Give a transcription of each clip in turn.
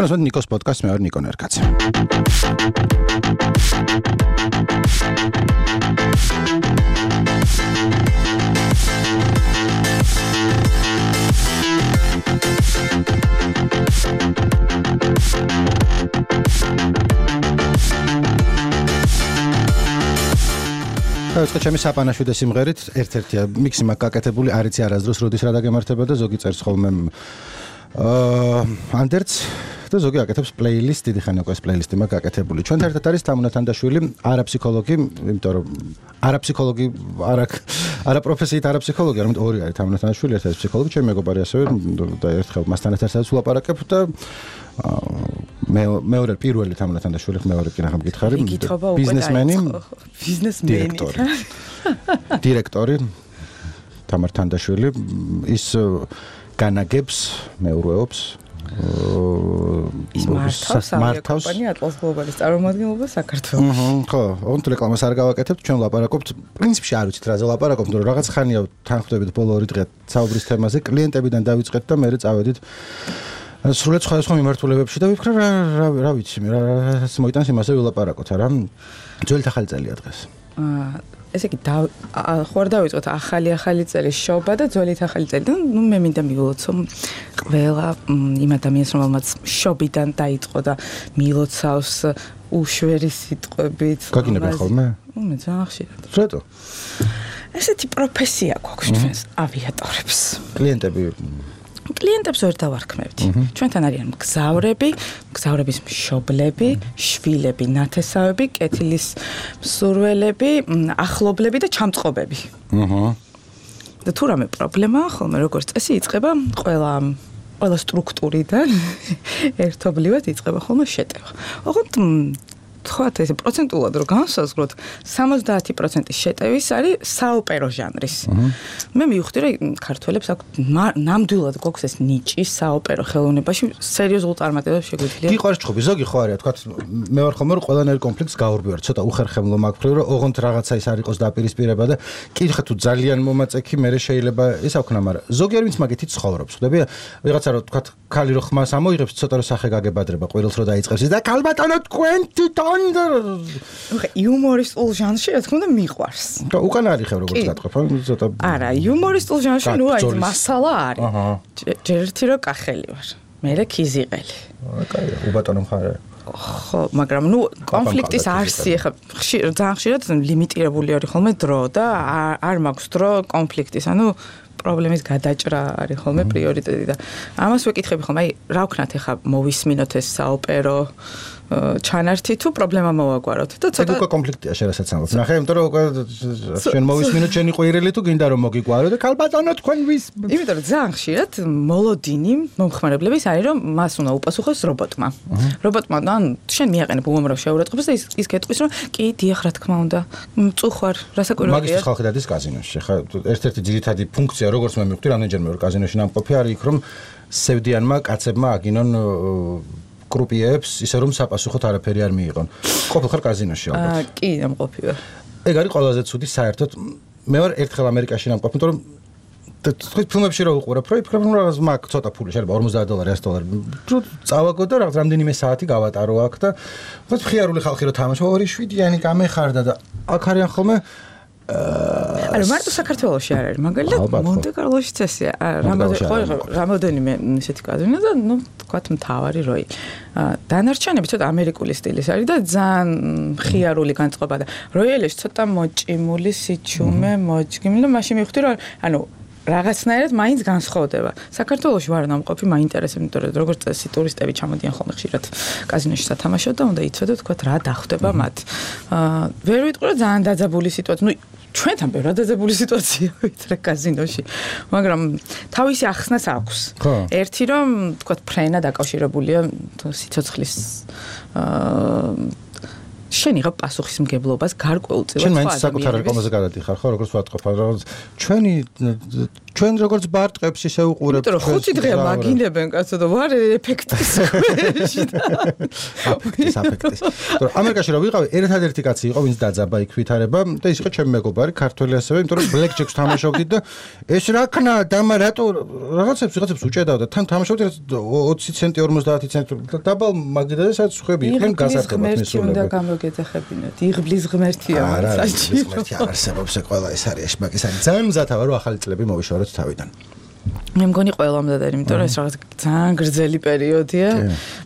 Თქვენს ნიკოს პოდკასტს მე ვარ ნიკო ნერკაცი. ეს ჩემი საპანაშვიდე სიმღერით ერთ-ერთია მიქსი მაგაკეთებული არ იცი არასდროს როდის რა დაგემართება და ზოგი წერს ხოლმე ანდერც და ზოგი აკეთებს პლეილისტ დიდი ხანი უკვე ეს პლეილისტი მაგაკეთებული ჩვენ ერთად არის თამუნა თანდაშვილი არაფსიქოლოგი იმიტომ რომ არაფსიქოლოგი არა პროფესიით არაფსიქოლოგი არამედ ორი არის თამუნა თანდაშვილი ერთ-ერთი ფსიქოლოგი ჩემი მეგობარი ასევე და ერთხელ მასთან ერთად ვლაპარაკებ და მეორე პირველი თამუნა თანდაშვილი მეორე კი რახან მკითხარი ბიზნესმენი დირექტორი თამარ თანდაშვილი ის განაგებს მეურვეობს ის მართავს კომპანია Atlas Global-ის წარმომადგენლობა საქართველოში. ხო, ოღონდ რეკლამას არ გავაკეთებთ, ჩვენ ვლაპარაკობთ, პრინციპში არ ვიცით რაზე ვლაპარაკობთ, მაგრამ რაღაც ხანია თანხმდებით ბოლო 2 დღე საუბრის თემაზე, კლიენტებიდან დავიწყეთ და მერე წავედით სრულად სხვადასხვა მიმართულებებში და ვიფიქრე რა ვიცი, რაც მოიტანს იმაზე ვილაპარაკოთ, არა? ძველი ახალი წელია დღეს. ესე იგი ხوار დავიწყოთ ახალი წელი შობა და ძველი ახალი წელი და ნუ მე მინდა მივულოცო ყველა იმ ადამიანს რომელმაც შობიდან დაიწყო და მილოცავს უშვერი სიტყვებით გაგინებენ ხოლმე? მე ძალიან ხშირად. რატო? ესეთი პროფესია გვაქვს ჩვენს ავიატორებს. კლიენტებს ვერ დავარქმევთ. ჩვენთან არიან მგზავრების მშობლები, შვილები, ნათესავები, კეთილის მსურველები, ახლობლები და ჩამწყობები. და თუ რამე პრობლემაა, ხოლმე როგორც წესი იწყება ყველა სტრუქტურიდან ერთობლივად იწყება ხოლმე შეტევა. ოღონდ თქვათ ესე პროცენტულად რო განსაზღვროთ 70% შეტევის არის საოპერო ჟანრის. მე მივხვდი რომ ქართველებს აქვს ნამდვილად გვაქვს ეს ნიჭი საოპერო ხელოვნებაში სერიოზულ წარმატებებს შეგვიძლია. გიყვარს ჩხუბი ზოგი ხო არის თქვათ მე ვარ ხოლმე რომ ყველანაირ კონფლიქტს გავურბივარ ცოტა უხერხემლო მაგ-ფრივ რომ ოღონდ რაღაცა ის არ იყოს დაპირისპირება და კითხე თუ ძალიან მომაწექი მე შეიძლება ის აქვნა მაგრამ ზოგი არ ვინც მაგითი ცხოვრობს ხვდები ვიღაცა რომ თქვათ ქალი რო ხმას ამოიღებს ცოტა რო სახე გაგებადრება ყვირილს რო დაიწყებს და ქალბატონო თქვენ თვითონ იუმორისტულ ჟანრში რა თქმა უნდა მიყვარს. და უკან არის ხე როგორც გატყვევ, ცოტა. არა, იუმორისტულ ჟანრში ნუ აი მასალა არის. ჯერთი რო კახელი ვარ. მე ქიზიყელი. კაია, უბატონო მხარე. ხო, მაგრამ ნუ კონფლიქტის არსი ხა ძალიან ხშირად ლიმიტირებული არის ხოლმე დრო და არ მაქვს დრო კონფლიქტის, ანუ პრობლემის გადაჭრა არის ხოლმე პრიორიტეტი და ამას ვეკითხები ხოლმე, აი რა ვქნათ ხა მოვისმინოთ ეს საოპერო ჩანართი თუ პრობლემა მოვაგვაროთ და ცოტა უკვე კონფლიქტია შესაძლოა. ნახე, იმიტომ რომ უკვე შენ მოვისმინოთ შენი ყვირილი თუ გინდა რომ მოგიგვარო და ქალბატონო თქვენ ვის იმიტომ რომ ძალიან ხშირად მოლოდინი მომხმარებლების არის რომ მას უნდა უპასუხოს რობოტმა. რობოტმა ან შენ მიაყენებ უამრავ შეურაცხყოფას და ის გეტყვის რომ კი დიახ რა თქმა უნდა მწუხვარ რასაკვირველია. მაგისტრის ხალხი დადის კაზინოში. ხა ერთ-ერთი ძირითადი ფუნქცია როგორც მე მივხვდი რამდენჯერმე որ კაზინოში ნამყოფი არის იქ რომ სევდიანმა კაცებმა აგინონ კრუპიებს ისე რომ საპასუხოდ არაფერი არ მიიღონ. ყოფილ ხარ კაზინოში ალბათ. კი, ამყოფი ვარ. ეგ არის ყველაზე ცუდი საერთოდ. მე ვარ ერთხელ ამერიკაში ნამყოფი, იმიტომ რომ თქვენ ფილმებში რო უყურებ, რო იფიქრებ რომ რაღაც მაგ ცოტა ფული შეიძლება $50, $100. თუ წავაგო და რაღაც რამდენიმე საათი გავატარო აქ და ვთქვი ხიარული ხალხი რო თამაშობ 2-7-იანი გამეხარდა და აქ არიან ხოლმე არა მარტო საქართველოში არ არის მაგალითად მონტე-კარლოში წესია რამოდენიმე ისეთი კაზინო და ნუ თქვათ მთავარი როი დანარჩენები ცოტა ამერიკული სტილის არის და ძალიან ხიარული განწყობა და როიელეში ცოტა მოჭიმული სიჩუმე მოჯგიმი და მაშინ მივხვდი რომ ანუ რაღაცნაირად მაინც განსხვავდება. საქართველოში ვარ ნამყოფი, მაინტერესებს, იმიტომ რომ როგორც წესი ტურისტები ჩამოდიან ხოლმე ხშირად კაზინოში სათამაშოდ და უნდა იცოდეთ თქვათ რა დახვდება მათ. ვერ ვიტყვი რომ ძალიან დაძაბული სიტუაცია. ნუ ჩვენთან ბევრად დაძაბული სიტუაცია ვიტრე კაზინოში. მაგრამ თავისი ახსნაც აქვს. ერთი რომ თქვათ ფრენა დაკავშირებულია სიცოცხლის შენ იღებ პასუხისმგებლობას გარკვეულწილად სხვა ადამიანების. შენ მაინც საკუთარ რეკლამაზე გადადიხარ, ხო, როგორც ვატყობ, რა ჩვენი ჩვენ როგორც ბარტყებს ისე უყურებთ. იმიტომ რომ 5 დღეა მაგინებენ კაცო და ვარ ეფექტის ქვეშ და აფექტის. იმიტომ ამერიკაში რა ვიყავი, ერთადერთი კაცი იყო, ვინც დაძაბა იქ ვითარება და ის იყო ჩემი მეგობარი, ქართველი ასევე, იმიტომ რომ ბლეკ ჯეკს თამაშობდით და ეს რა ქნა დამა რატო რაღაცებს უჭედავ და თან თამაშობდით 20 ცენტი 50 ცენტი დაბალ მაგიდა და სადაც ხვები იყვნენ გაზარდებათ მისულები. და გამოგეთახებინათ. იღბლის ღმერთია საჭირო. ღმერთი არ არსებობს ყველა ეს არის მაგის არის. ძალიან მზათა ვარ რომ ახალი წლები მოვიშოროთ თავიდან. მე მგონი ყველამ და იმიტომ რომ ეს რაღაც ძალიან გრძელი პერიოდია.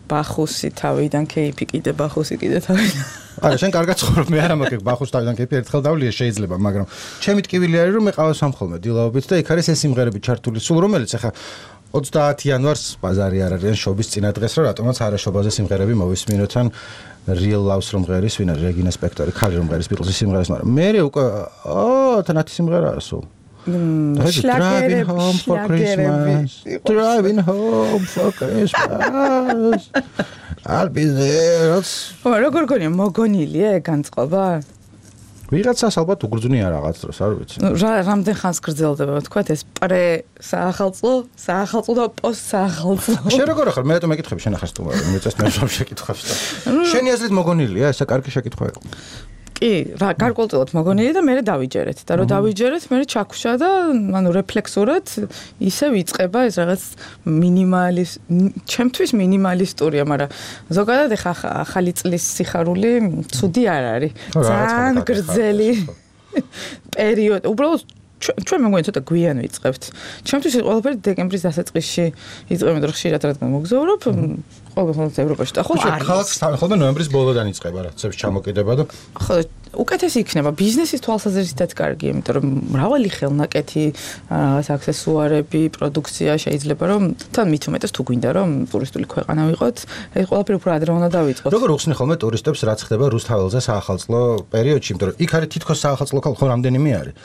ბახუსი თავიდან кейფი კიდე ბახუსი კიდე თავიდან. არა, შენ კარგად ცხოვრობ, მე არა მაქვს ბახუს თავიდან кейფი ერთხელ დავლია შეიძლება, მაგრამ ჩემი ტკივილი არის რომ მე ყავს სამხოლმე დილაობით და იქ არის ეს სიმღერები ჩართული, სულ რომელიც ახლა 30 იანვარს ბაზარი არ არის შობის წინა დღეს რომ რატომაც არაშობაზე სიმღერები მოვისმინოთ ან Real Loves რომ ღერის ვინა რეგინა სპექტორი, ხალი რომ ღერის ბიტლზის სიმღერას, მაგრამ მე უკვე თანათი სიმღერაა სულ. Driving home for Christmas. Driving home for Christmas. I'll be there. როგორ გონია მოგონილია განწყობა? ვიღაცას ალბათ უგრძნია რაღაც დროს, არ ვიცი. რამდენ ხანს გრძელდება, თქვა ეს პრე საახალწლო და პოსტ საახალწლო. შენ როგორ ახალ? მე რატომ მეკითხები შენ ახალ სტუმარი? მე წეს მე რომ შეკითხავს და. შენი აზრით მოგონილია, ესა კარგი შეკითხვა იყო. კი, რა გარკვეულწილად მოგონილი და მე დავიჯერეთ და რომ დავიჯერეთ, მე ჩაქვშა და ანუ რეფლექსურად ისე ვიწყება ეს რაღაც ჩემთვის მინიმალისტურია, მაგრამ ზოგადად ახალი წლის სიხარული ცუდი არ არის. ძალიან გრძელი პერიოდი. უბრალოდ ჩვენ მე მგონი ცოტა გვიან ვიწყებთ. ჩემთვის ყველაფერი დეკემბრის დასაწყისში იწყება, რომ ხშირად რადგან მოგზაურობ ყოველთვის ევროპაში და ხო არის. ხალხს ხოლმე ნოემბრის ბოლოდან იწყება რა, ცებს ჩამოკიდება და ხო უკეთესი იქნება ბიზნესის თვალსაზრისითაც კარგი, იმიტომ რომ მრავალი ხელნაკეთი, რაღაც აქსესუარები, პროდუქცია შეიძლება რომ თან მით უმეტეს თუ გვინდა რომ ტურისტული ქვეყანა ვიყოთ, ეს ყველაფერი უფრო ადრე უნდა დავიწყოთ. როგორ უხსნი ხოლმე ტურისტებს რაც ხდება რუსთაველზე საახალწლო პერიოდში, იმიტომ რომ იქ არის თითქოს საახალწლო ქალაქი ხო რამდენიმე არის.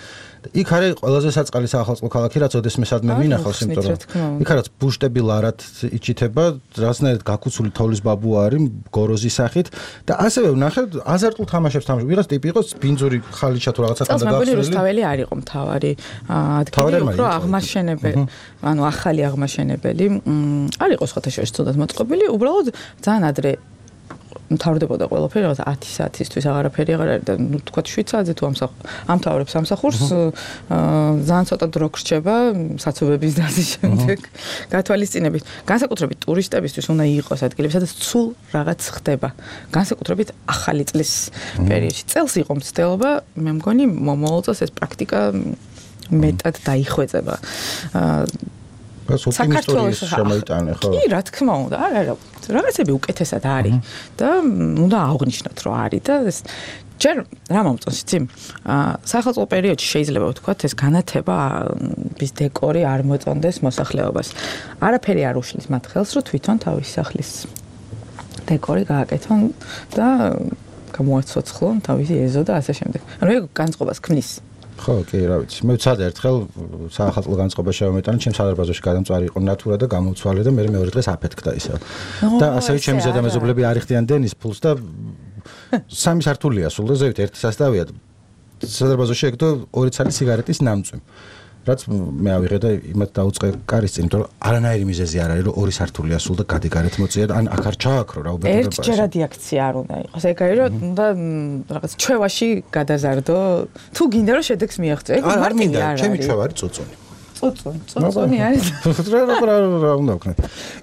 იქ არის ყველაზე საწყალი საახალწლო ქალაქი, რაც ოდესმესადმე მინახავს, იმიტომ რომ იქ არის ბუშტები ლარად იჩითება, რაღაცნაირად გაკუცული თოვლის ბაბუ არის გოროზის სახით და ასევე ვნახე აზარტულ თამაშებს თამაშობ. ვიღაც ტიპი იყო ბინძური ხალიჩა თუ რაღაცა თამდა გახსნილი. რუსთაველი არ იყო მთავარი ადგილი, უფრო აღმაშენებელი, ანუ ახალი აღმაშენებელი. არ იყო სხვათა შორის ცუდად მოწყობილი, უბრალოდ ძალიან ადრე მთავრდებოდა ყველაფერი, რაღაც 10 საათისთვის აღარაფერი აღარ არის და ნუ თქვა 7 საათზე თუ ამთავრებს სამსახურს, ძალიან ცოტა დრო გრჩება საცობების დაზის შემდეგ გათვალისწინებით. განსაკუთრებით ტურისტებისთვის უნდა იყოს ადგილები, სადაც სულ რაღაც ხდება. განსაკუთრებით ახალი წლის პერიოდში. წელს იყო მცდელობა, მე მგონი მომავალ წელს ეს პრაქტიკა მეტად დაიხვეწება. საქართველოს შემოიტანე ხო? კი, რა თქმა უნდა, არა, რაღაცები უკეთესად არის და უნდა აღვნიშნოთ, რომ არის და ეს ჯერ რა მომწონს იცი? საახალწლო პერიოდში შეიძლება ვთქვათ, ეს განათება ის დეკორი არ მოწონდეს მოსახლეობას. არაფერი არ უშლის მათ ხელს, რომ თვითონ თავის სახლის დეკორი გააკეთონ და გამოაცოცხლონ თავისი ეზო და ასე შემდეგ. ანუ ეგ განწყობას ქმნის. ხო, კი, რა ვიცი. მე ვცადე ერთხელ საახალწლო განწყობა შევამეტანე, ჩემს სადარბაზოში გადამწვარი იყო ნატურა და გამოვცვალე და მე მეორე დღეს აფეთქდა ისევ. და ასევე ჩემი ზედამეზობლები არ იხდიან დენის ფულს და 3 სართულია სულ და ზევით ერთი სასტავია. სადარბაზოში ეგდო 2 ცალი სიგარეტის ნამწვი. რაც მე ავიღე და იმათ დაუწყე კარის წინ, იმიტომ რომ არანაირი მიზეზი არ არის, რომ 2 სართულია სულ და გადიგარეთ მოწია და ან აქ არ ჩააქრო რა უბედურება. ერთჯერადი აქცია არ უნდა იყოს. ეგ არის რომ უნდა რაღაც ჩვევაში გადაზარდო. თუ გინდა რომ შედეგს მიაღწიო, ეგ არ მინდა, ჩემი ჩვევა არის წუწუნი. წუწუნი არის. რა უნდა ვქნათ.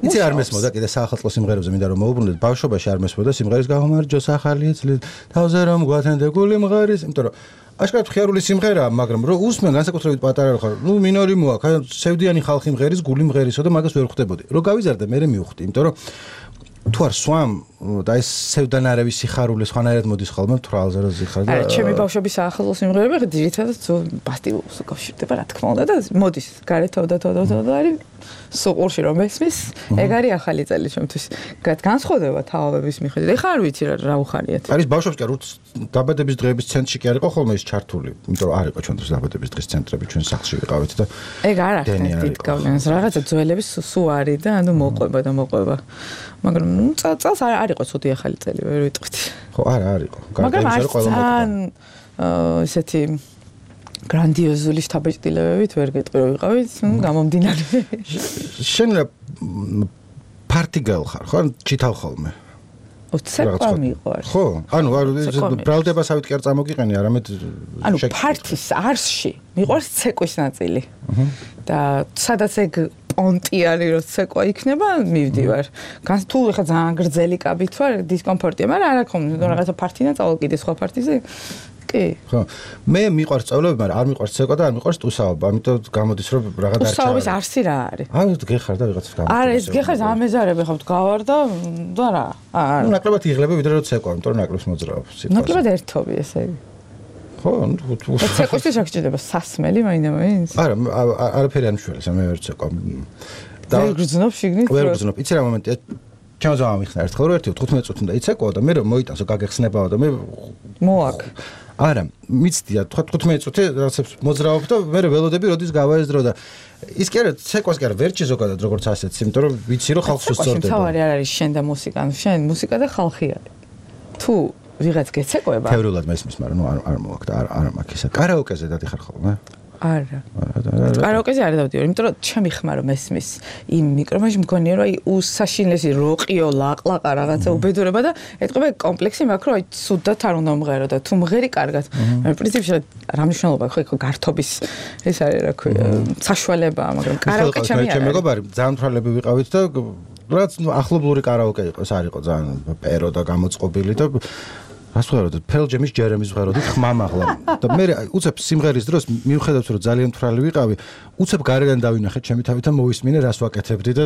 იცი არ მესმოდა კიდე საახალწლო სიმღერებზე მინდა რომ მოვუბრუნდეთ. ბავშვობაში არ მესმოდა სიმღერის გამომარჯოს ახალი წლით. თავზე რომ გვათენდე გული მღერის, იმიტომ რომ აშკარად ხიარული სიმღერაა, მაგრამ რო უსმენ განსაკუთრებით პატარა ხარ, ნუ მინორი მოაქვს, სევდიანი ხალხი მღერის, გული მღერისო და მაგას ვერ ხვდებოდი. რო გავიზარდე, მე მივხვდი, იმიტომ რომ თუ არ სვამ და ეს სევდანარევი სიხარული სხვანაირად მოდის ხოლმე თვალზე რო ზიხარ და არა, ჩემი ბავშვობის საახალწლო სიმღერები ძირითადად პასტილს უკავშირდება, რა თქმა უნდა და მოდის გარეთ და არის სუყურში რომ ესმის, ეგ არის ახალი წელი ჩემთვის. განსხვავდება თაობების მიხედვით. ეხლა არ ვიცი რა უხარიათ. არის ბავშვებს კი არ დაბადების დღეების ცენტრში კი არ იყო ხოლმე ის ჩართული, იმიტომ რომ არ იყო ჩვენ დროს დაბადების დღის ცენტრები ჩვენ სახლში ვიყავით და ეგ არ ახდენს დიდ გავლენას. რაღაცა ძველების სუ არის და ანუ მოყვება. მაგრამ წელს არ იყო ცუდი ახალი წელი, ვერ ვიტყვით. ხო, არა, არ იყო. მაგრამ ძალიან ესეთი გრანდიოზული შთაბეჭდილებებით ვერ გეტყვი რომ ვიყავით, გამომდინარე. შენ პარტიგელ ხარ, ხო? ჩითავ ხოლმე. ცეკვა მიყვარს. ხო, ანუ ბრალდებასავით კი არ წამოგიყენი, არამედ ანუ პარტის არსში მიყვარს ცეკვის ნაწილი. და სადაც ეგ პონტი არის რომ ცეკვა იქნება, მივდივარ. თუ ხა ძალიან გრძელი კაბით ვარ, დისკომფორტია, მაგრამ არა ხომ, რაღაცა პარტინა წავალ კიდე სხვა პარტიზე. კი. ხო. მე მიყვარს სწავლები, მაგრამ არ მიყვარს ცეკვა და არ მიყვარს ტუსაობა, ამიტომ გამოდის რომ რაღაც არ ჩავარ. ტუსაობის არსი რა არის? გეხარ და ვიღაცას გამოდის. არა, ეს გეხარ ამეზარები ხავთ გავარ და რა. ნუ ნაკლებად იღლები ვიდრე რომ ცეკვა, იმიტომ რომ ნაკლებს მოძრაობს. ნაკლებად ერთობი ესე იგი. ხო, ცეკვისთვის რა გჭირდება? სასმელი მაინდა-მაინც? არა, არაფერი არ მშველის, მე ვერ ცეკვა. და ვერ გრძნობ შიგნით? ვერ გრძნობ. იცი რა მომენტია? ჩემს ამიხსნა ერთხელ რომ 15 წუთი უნდა იცეკვაო და მე რომ მოიტანსო გაგეხსნებაო და მე მოაკ. არა, მიცდია 15 წუთი რაღაცებს მოძრაობ და მე ველოდები როდის გავაეზრო და ის კი არა ცეკვას კი არა ვერჩი ზოგადად როგორც ასეც, იმიტომ რომ ვიცი რომ ხალხს უსწორდება. თავარი არ არის შენ და მუსიკა, შენ მუსიკა და ხალხი არის. თუ ვიღაც გეცეკვება. თეორიულად მესმის, მაგრამ ნუ არ მოვაკ და არ მაქვს ისა. კარაოკეზე დადიხარ ხოლმე? არა. კარაოკეზე არ დავდივარ, იმიტომ რომ ჩემი ხმა რომ ესმის იმ მიკროფონში მგონია რომ აი უსაშინლესი როყიო ლაყლაყა რაღაცა უბედურება და ეთყობა კომპლექსი მაქვს რომ აი ცუდად არ უნდა მღერო და თუ მღერი კარგად. მე პრინციპში რა მნიშვნელობა ხო გართობის ეს არის რა ქვია საშუალებაა, მაგრამ კარაოკე ჩემი არა. ჩემ მეგობარი ძალიან თვალები ვიყავით და რაც ახლობლური კარაოკე იყოს, არ იყო ძალიან პერო და გამოწყობილი და რას ვღეროდით? ფელჯემის ჯერემის ვღეროდით ხმამაღლა. და მე უცებ სიმღერის დროს მივხედავთ რომ ძალიან თვრალი ვიყავი, უცებ გარედან დავინახეთ ჩემი თავით და მოვისმინე რას ვაკეთებდი და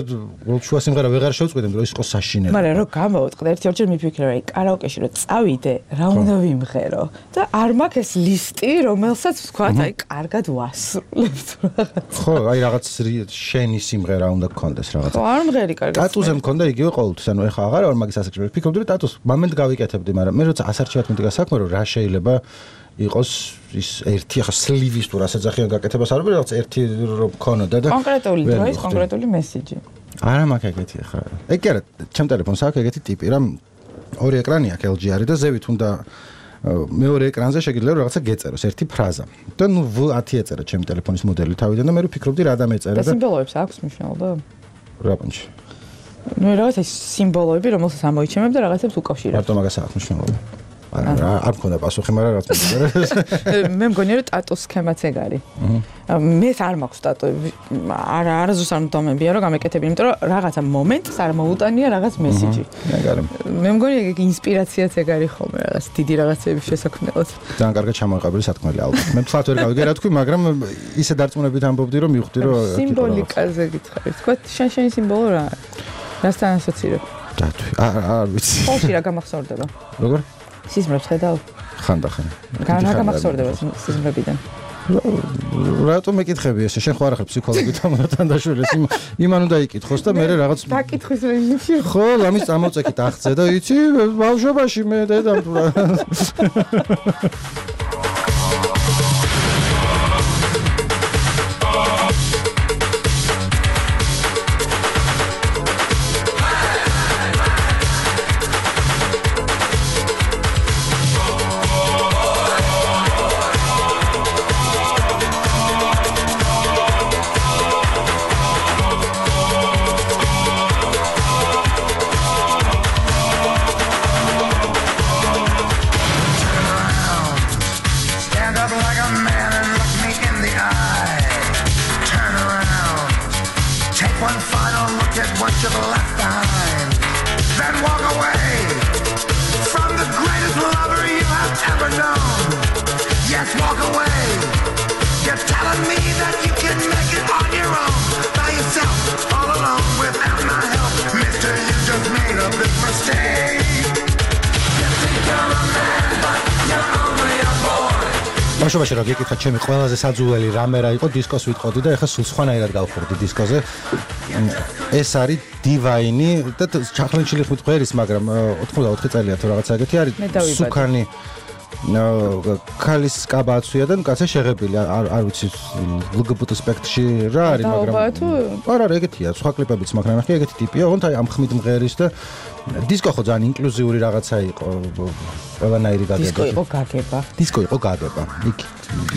შუა სიმღერა ვეღარ შევწყვეტე, რომ ის იყო საშინელი. მაგრამ რომ გამოვწყდა ერთ-ერთჯერ მიფიქრე რომ აი კარაოკეში რომ წავიდე, რა უნდა ვიმღერო და არ მაქვს ეს ლისტი, რომელსაც ვთქვათ აი კარგად ვასრულებ რაღაც. ხო, აი რაღაც შენი სიმღერა უნდა გქონდეს რაღაც. ხო, არ მღერი კარგად. ტატუზე მქონდა იგივე ყოველთვის, ანუ ეხა აღარ ვარ მაგის ასაკში, ვფიქრობდი რომ ტატუს მომენტ გავიკეთებდი, მაგრამ მე როცა ასარჩევად მითქვა საქმე რომ რა შეიძლება იყოს ის ერთი ახლა სლივის თუ რასაც ახიან გაკეთებას არ ვიყავ რაღაც ერთი რომ მქონოდა და კონკრეტული დროის კონკრეტული მესიჯი. არა მაქვს ეგეთი ახლა. ეგ კი არა, ჩემ ტელეფონს აქვს ეგეთი ტიპი, რა ორი ეკრანი აქვს LG არის და ზევით უნდა მეორე ეკრანზე შეგიძლია რაღაცა გეწეროს ერთი ფრაზა. და ნუ 10 ეწერა ჩემ ტელეფონის მოდელი თავიდან და მე ვფიქრობდი რა დამეწერა და სიმბოლოებს აქვს მნიშვნელობა? რა პონჩი. ნუ რაღაცა სიმბოლოები რომელსაც ამოიჩემებ და რაღაცებს უკავშირებ. მარტო მაგას აქვს მნიშვნელობა. არ მქონდა პასუხი, მაგრამ რაც მოგწერა. მე მგონია რომ ტატუს სქემაც ეგ არის. მე არ მაქვს ტატუები. არასდროს არ მომდომებია რომ გამეკეთები, იმიტომ რომ რაღაცა მომენტს არ მოუტანია რაღაც მესიჯი. მე მგონია ეგ ინსპირაციაც ეგ არის ხოლმე რაღაც დიდი რაღაცების შესაქმნელად. ძალიან კარგად ჩამოყალიბებული სათქმელი ალბათ. მე თქვათ ვერ გავიგე რა თქვი, მაგრამ ისე დარწმუნებით ამბობდი რომ მივხვდი რომ სიმბოლიკაზე გითხარი. თქვა შენი სიმბოლო რა არის? რასთან ასოცირებ? დათვი. არ ვიცი. ხოლში რა გამახსოვრდება? როგორ? სიზმრებს ხედავ? ხანდახან. რა გამახსოვრდება სიზმრებიდან? რატომ მეკითხები ესე? შენ ხო არ ხარ ფსიქოლოგი თანდაშვილ ეს იმან უნდა იკითხოს და მე რაღაც დაკითხვის რეჟიმში. ხო, ამის წამოწეკით აღწე და იცი ბავშვობაში მე დედამ თუ რა. ბავშვობაში რა გეკითხა ჩემი ყველაზე საძულელი რამე რა იყო დისკოს ვიტყოდი და ეხლა სულ სხვანაირად გავხურდი დისკოზე. ეს არის დივაინი და ჩახლენჩილი ხმით ყვერის, მაგრამ 84 წელია თუ რაღაცა ეგეთი არის. სუკანი ქალის კაბა აცვია და კაცი შეღებილი არ ვიცი LGBT სპექტრში რა არის მაგრამ არა ეგეთია სხვა კლიპებიც მაგრამ ნახე ეგეთი ტიპია ოღონდ აი ამ ხმით მღერის და დისკო ხო ძალიან ინკლუზიური რაღაცა იყო ყველანაირი გაგება დისკო იყო გაგება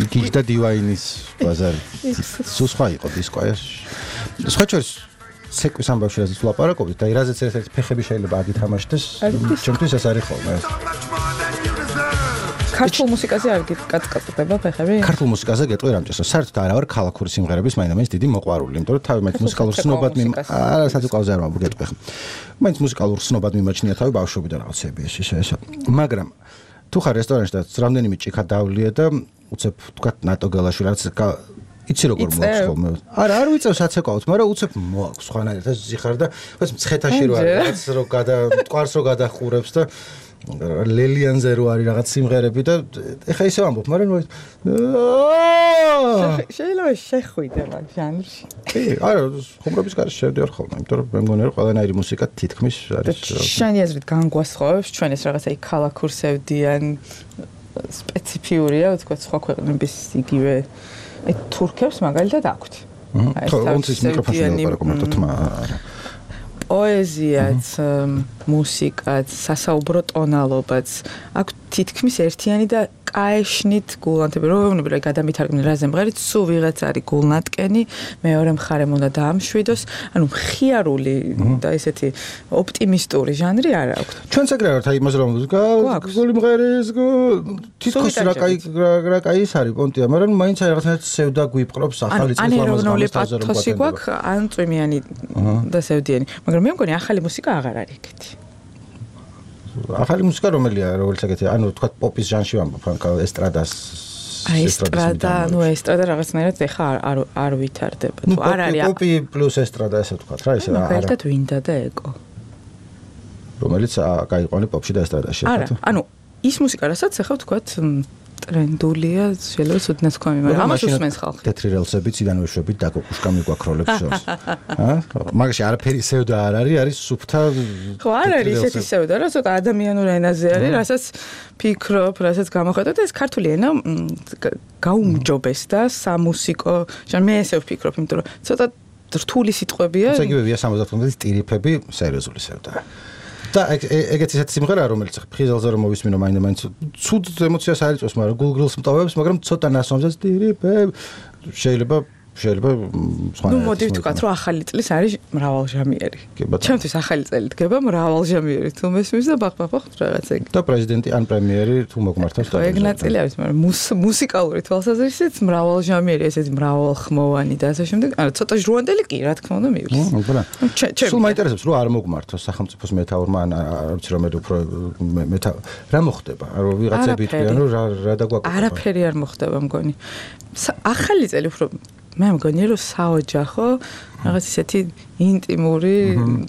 იქ და დივაინის ბაზარი სხვა იყო დისკო აი სხვა შორის სეკვის ამბავში რაზეც ვლაპარაკობთ და რაზეც ერთ-ერთი ფეხები შეიძლება აგითამაშდეს ჩემთვის ეს არის ხოლმე ქართულ მუსიკაზე არ გიკატკატდება ფეხები? ქართულ მუსიკაზე გეტყვი რამჭესო. საერთოდ არა ვარ ქალაქური სიმღერების მაინც დიდი მოყვარული, იმიტომ რომ თავი მაინც მუსიკალურ სნობად არა საძულყავზე არ მოგეტყვი ხო. მაინც მუსიკალურ სნობად მიმაჩნია თავი ბავშვობიდან რაღაცები ეს. მაგრამ თუ ხარ რესტორანში და რამდენიმე ჭიქა დავლია და უცებ თქვათ ნატო გელაშვილი რაც იცი როგორ მოაქვს ხოლმე. არა, არ ვიწევს აცეკავთ, მაგრამ უცებ მოაქვს სხვანაირად ეს ზიხარ და ეს მცხეთაში რო არის, რაც რო მტკვარს რო გადახურებს და ლელიანზე რო არის რაღაც სიმღერები და ეხა ისე ვამბობ, მაგრამ შეიძლება შეხვიდე მაგ ჟანრში. კი, არა, ხუმრობის გარშე შევდივარ ხოლმე, იმიტომ რომ მე მგონი რომ ყველანაირი მუსიკა თითქმის არის. შენი აზრით განგვასხოვებს ჩვენ ეს რაღაცა იქ ქალაქურ სევდიან სპეციფიურია, თქო სხვა ქვეყნების იგივე აი თურქებს მაგალითად აქვთ. აი ეს მიკროფონში ვაპარაკო მარტო თმა არა. პოეზიაც, მუსიკაც, სასაუბრო ტონალობაც აქ თითქმის ერთიანი და კაეშნით გულანტები რომლებიც რა გადამითარგმნე რაზე მღერით სულ ვიღაც არის გულნატკენი მეორე მხარემ უნდა დაამშვიდოს ანუ მხიარული და ესეთი ოპტიმისტური ჟანრი არ აქვს ჩვენც ეგრე ვართ აი იმას რომ გული მღერის თითქოს რა კაი ის არის პონტია მაგრამ მაინც აი რაღაცნაირად სევდა გვიპყრობს ახალი წელს ამას პათოსი გვაქვს ან წვიმიანი და სევდიანი მაგრამ მე მგონი ახალი მუსიკა აღარ არის ეგეთი ახალი მუსიკა რომელია როგორც ეგეთი ანუ თქვა პოპის ჟანრში ვამბობ ან ესტრადას ესტრადა რაღაცნაირად ეხა არ ვითარდება თუ არ არის პოპი პლუს ესტრადა ესე თქვა რა ისე არა ერთად ვინდა და ეკო რომელიც გაიყვანე პოპში და ესტრადაში არა ანუ ის მუსიკა რასაც ეხა თქვა ტრენდულია შეიძლება სუდნას თქვა მაგრამ ამას უსმენს ხალხი თეთრი რელსები ციდანვე შვებით დაკოკუშკა მიგვაქროლებს შორს მაგაში არაფერი სევდა არ არის სუფთა ხო არ არის ესეთი სევდა რა ცოტა ადამიანურ ენაზე არის რასაც ფიქრობ რასაც გამოხედავ და ეს ქართული ენა გაუმჯობეს და სამუსიკო ჟანრი მე ესე ვფიქრობ იმიტომ რომ ცოტა რთული სიტყვებია ესე იგივეა 70-ის ტირიფები სერიოზული სევდა და ეგეთი სიმღერაა რომელიც ხიზელზე რომ მოვისმინო მაინც ცუდ ემოციას არ იწვევს მაგრამ გულგრილს მტოვებს მაგრამ ცოტა ნასვამზეც ტირიფები შეიძლება ნუ მოდი ვთქვათ რომ ახალი წლის არის მრავალჟამიერი ჩემთვის ახალი წელი დგება მრავალჟამიერი თუ მესმის და ბახ რაღაც ეგ და პრეზიდენტი ან პრემიერი თუ მოგმართავს და ეგ ნაწილი არის მაგრამ მუსიკალური თვალსაზრისით მრავალჟამიერი ესეთი მრავალხმოვანი და ასე შემდეგ არა ცოტა ჟრუანდელი კი რა თქმა უნდა მივლის სულ მაინტერესებს რომ არ მოგმართოს სახელმწიფოს მეთაურმა ან არ ვიცი რომ უფრო რა მოხდება რომ ვიღაცები იტყვიან რომ რა დაგვაკეთება არაფერი არ მოხდება მგონი ახალი წელი უფრო მე მგონია რომ საოჯახო რაღაც ისეთი ინტიმური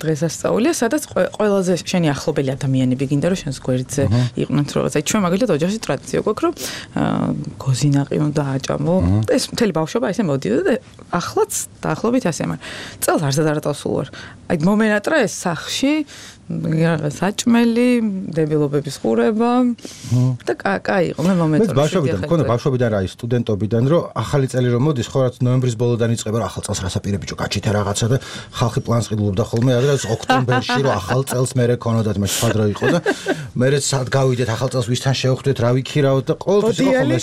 დღესასწაულია სადაც ყველაზე შენი ახლობელი ადამიანები გინდა რომ შენს გვერდზე იყვნენ რაღაც აი ჩვენ მაგალითად ოჯახში ტრადიცია გვაქვს რომ გოზინაყი უნდა აჭამო ეს მთელი ბავშვობა ესე მოდიოდა და ახლაც დაახლოებით ასე მაგრამ წელს არცად არ დავსულ ვარ აი მომენატრა ეს სახში საჭმელი დებილობების ხურება და კაი იყო მე მომენტი მე ბავშვობიდან რა ის სტუდენტობიდან რომ ახალი წელი რომ მოდის ხო რაც ნოემბრის ბოლოდან იწყება რა ახალ წელს რასაპირე ბიჭო გაჩით რაღაცა და ხალხი პლანს ყიდულობდა ხოლმე რაღაც ოქტომბერში რომ ახალ წელს მერე ქონოდათ მე სხვა დრო იყო და მერე სად გავიდეთ ახალ წელს ვისთან შევხვდეთ რა ვიქირავთ და ყოველთვის იყო ხოლმე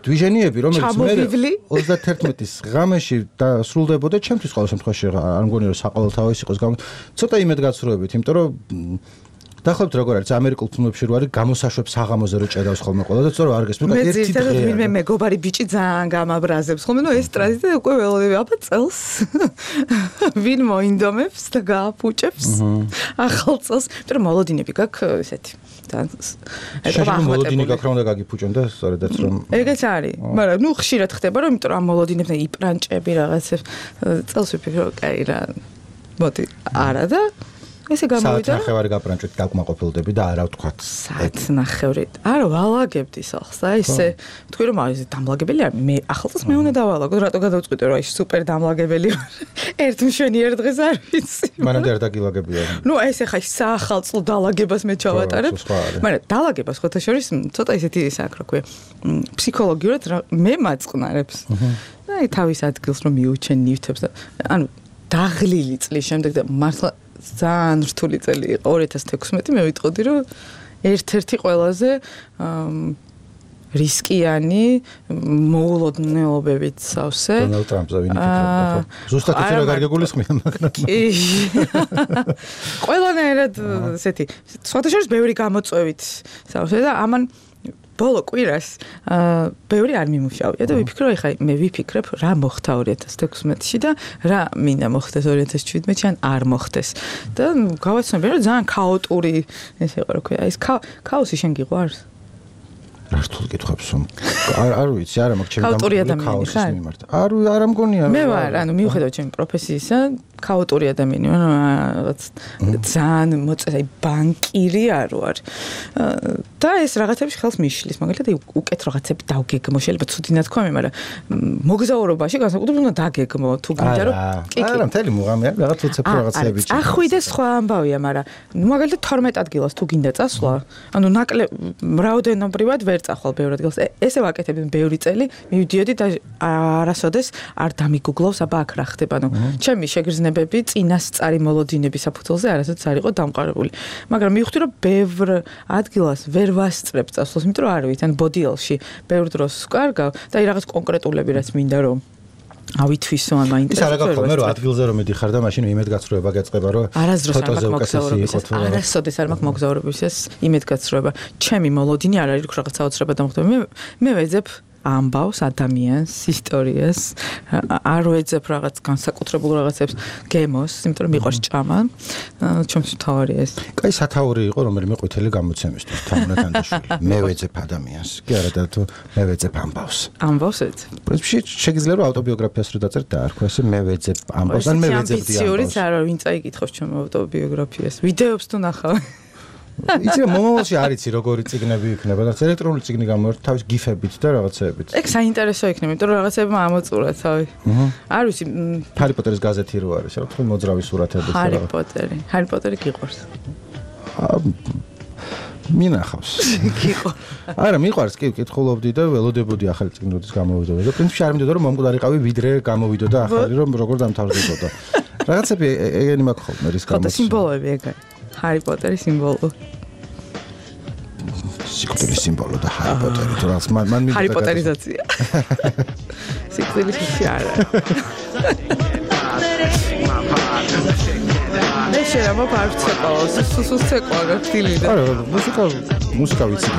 დვიჟენიები რომელიც მე 31-ის ღამეში და სრულდებოდა ჩემთვის ყოველ შემთხვევაში არ მგონია რომ საყოველთაო ის იყოს ცოტა იმედგაცრუებით იმიტომ რომ დაახლოებით როგორ არის ამერიკულ ფილმებში რო არის გამოსაშვებს საღამოზე რო ჭედავს ხოლმე ყველა და თორე არ გესმის მაგრამ ერთი დღე მე მეგობარი ბიჭი ძალიან გამაბრაზებს ხოლმე ნუ ეს ტრადიცია უკვე ველოდები აბა წელს ვინ მოინდომებს და გააფუჭებს ახალ წელს იმიტომ რომ მოლოდინები გაქვს ესეთი შეიძლება მოლოდინი გაქვს რომ უნდა გაგიფუჭონ და სწორედაც რომ ეგეც არის მაგრამ ნუ ხშირად ხდება რომ იმიტომ რომ ამ მოლოდინებთან იპრანჭები რაღაცებს წელს ვიფიქრო კაი რა მოდი არა და ესე გამოვიდა. საათნახევარი გაპრანჭით დაკმაყოფილდები და არა ვთქვათ. საათნახევარი. არა, ვალაგებდი სახლს. აი ესე თქვი რომ აი დამლაგებელი არ მე ახალწელს მე უნდა დავალაგო, რატო გადავწყვიტე რომ აი სუპერ დამლაგებელი ვარ. ერთ მშვენიერ დღეს არ ვიცი. მანამდე არ დაგილაგებია. ნუ ეს ახლა საახალწლო დალაგებას მე ჩავატარებ. მაგრამ დალაგებას ხოთა შორის ცოტა ისეთი ისე აქვს რა ქვია. ფსიქოლოგიურად მე მაწყნარებს. აი თავის ადგილს რომ მიუჩენ ნივთებს და ანუ დაღლილი წლის შემდეგ და მართლა ძალიან რთული წელი იყო 2016 მე ვიტყოდი რომ ერთ-ერთი ყველაზე რისკიანი მოულოდნელობებით სავსე დონალდ ტრამპზე ვინი ფიქრობდა ზუსტად ის რა კარგი გულისხმია მაგრამ ყველანაირად ესეთი სხვათა შორის ბევრი გამოწვევით სავსე და ამან ბოლო კვირას ბევრი არ მიმუშავია და ვიფიქრო ეხლა მე ვიფიქრებ რა მოხდა 2016-ში და რა მინდა მოხდეს 2017-ში ან არ მოხდეს და გავაცნობი რომ ძალიან ქაოტური ეს იყო რა ქვია ეს ქაოსი შენ გიყვარს რა რთულ კითხვებს არ ვიცი არა მაგ ჩემი ქაოსის მიმართ არ მგონია მე ვარ ანუ მიუხედავად ჩემი პროფესიისა ქაოტური ადამიანი ვარ რაღაც ძალიან მოწესა ბანკირი არ ვარ და ეს რაღაცებში ხელს მიშლის მაგალითად უკეთ რაღაცები დავგეგმო შეიძლება ცუდი ნათქვამი მაგრამ მოგზაურობაში განსაკუთრებით უნდა დაგეგმო თუ გინდა რომ არა მთელი მუღამი არის რაღაც უცებ რაღაცები ახვიდე სხვა ამბავია მაგრამ მაგალითად 12 ადგილას თუ გინდა წასვლა ანუ რაოდენობრივად ვერ წახვალ ბევრ ადგილას ესე ვაკეთებ ბევრი წელი მივიდიოდი და არასოდეს არ დამიგუგლავს აბა აქ რა ხდება ანუ ჩემი შეგრძნებები წინასწარი მოლოდინების საფუძველზე არასოდეს არ იყო დამყარებული მაგრამ მივხვდი რომ ბევრ ადგილას ვერ ვასწრებ წასვლას იმიტომ რომ არ ვიცი ან ბოდიელში ბევრ დროს ვკარგავ და აი რაღაც კონკრეტულები რაც მინდა რომ ავითვისო ან მაინტერესებს. ეს არა გქონდა რომ ადგილზე რომ მიდიხარ და მაშინ იმედგაცრუება გეწყება რომ ფოტოზე უკეთესი იყო თუ არა. არასოდეს არ მაქვს მოგზაურობისას იმედგაცრუება. ჩემი მოლოდინი არ არის რაღაც საოცრება დამხდება. მე ვეძებ ამბავს ადამიანს, ისტორიას, არ ვეძებ რაღაც განსაკუთრებულ რაღაცებს გემოს, იმიტომ რომ მიყვარს ჭამა. ჩემს თავარია ეს. კაი სათაური იყო რომელიმე ყვითელი გამოცემისთვის თამუნათანდაშვილი. მე ვეძებ ადამიანს. კი არა და თუ მე ვეძებ ამბავს. ამბავს ეძებ. პრინციპში შეგიძლია რომ ავტობიოგრაფიას რო დაწერთ და არქვა ესე მე ვეძებ ამბავს ან მე ვეძებ ამბავს. ამბიციურიც არა ვინ წაიკითხავს ჩემ ავტობიოგრაფიას. ვიდეოებს თუ ნახავ. იცი რომ მომავალში არ იცი როგორი წიგნები იქნება და ელექტრონული წიგნი გამოვართ თავის გიფებით და რაღაცეებით. ეგ საინტერესო იქნება, იმიტომ რომ რაღაცებმა ამოწურა თავი. არ ვიცი, ჰარი პოტერის გაზეთი რო არის, რა თქმა უნდა მოძრავი სურათები და ჰარი პოტერი გიყვარს. მინახავს. გიყვარს. არა, მიყვარს, კი, კითხულობდი და ველოდებოდი ახალი წიგნების გამოვიდოდა. და პრინციპში არ მინდოდა რომ მომკვდარიყავი ვიდრე გამოვიდოდა ახალი რომ როგორ დამთავრდებოდა. რაღაცები ეგენი მაქვს ხოლმე რის გამოც. ხოდა სიმბოლოები ეგაა. ჰარი პოტერის სიმბოლო. სიკვდილის სიმბოლო და ჰარი პოტერი თუ რაღაც მან მინდა ჰარი პოტერიზაცია. სიკვდილის არა. მე შეიძლება პარცეყოს, სუსუს ცეკვარა დილიდან. არა, მუსიკა ვიცი.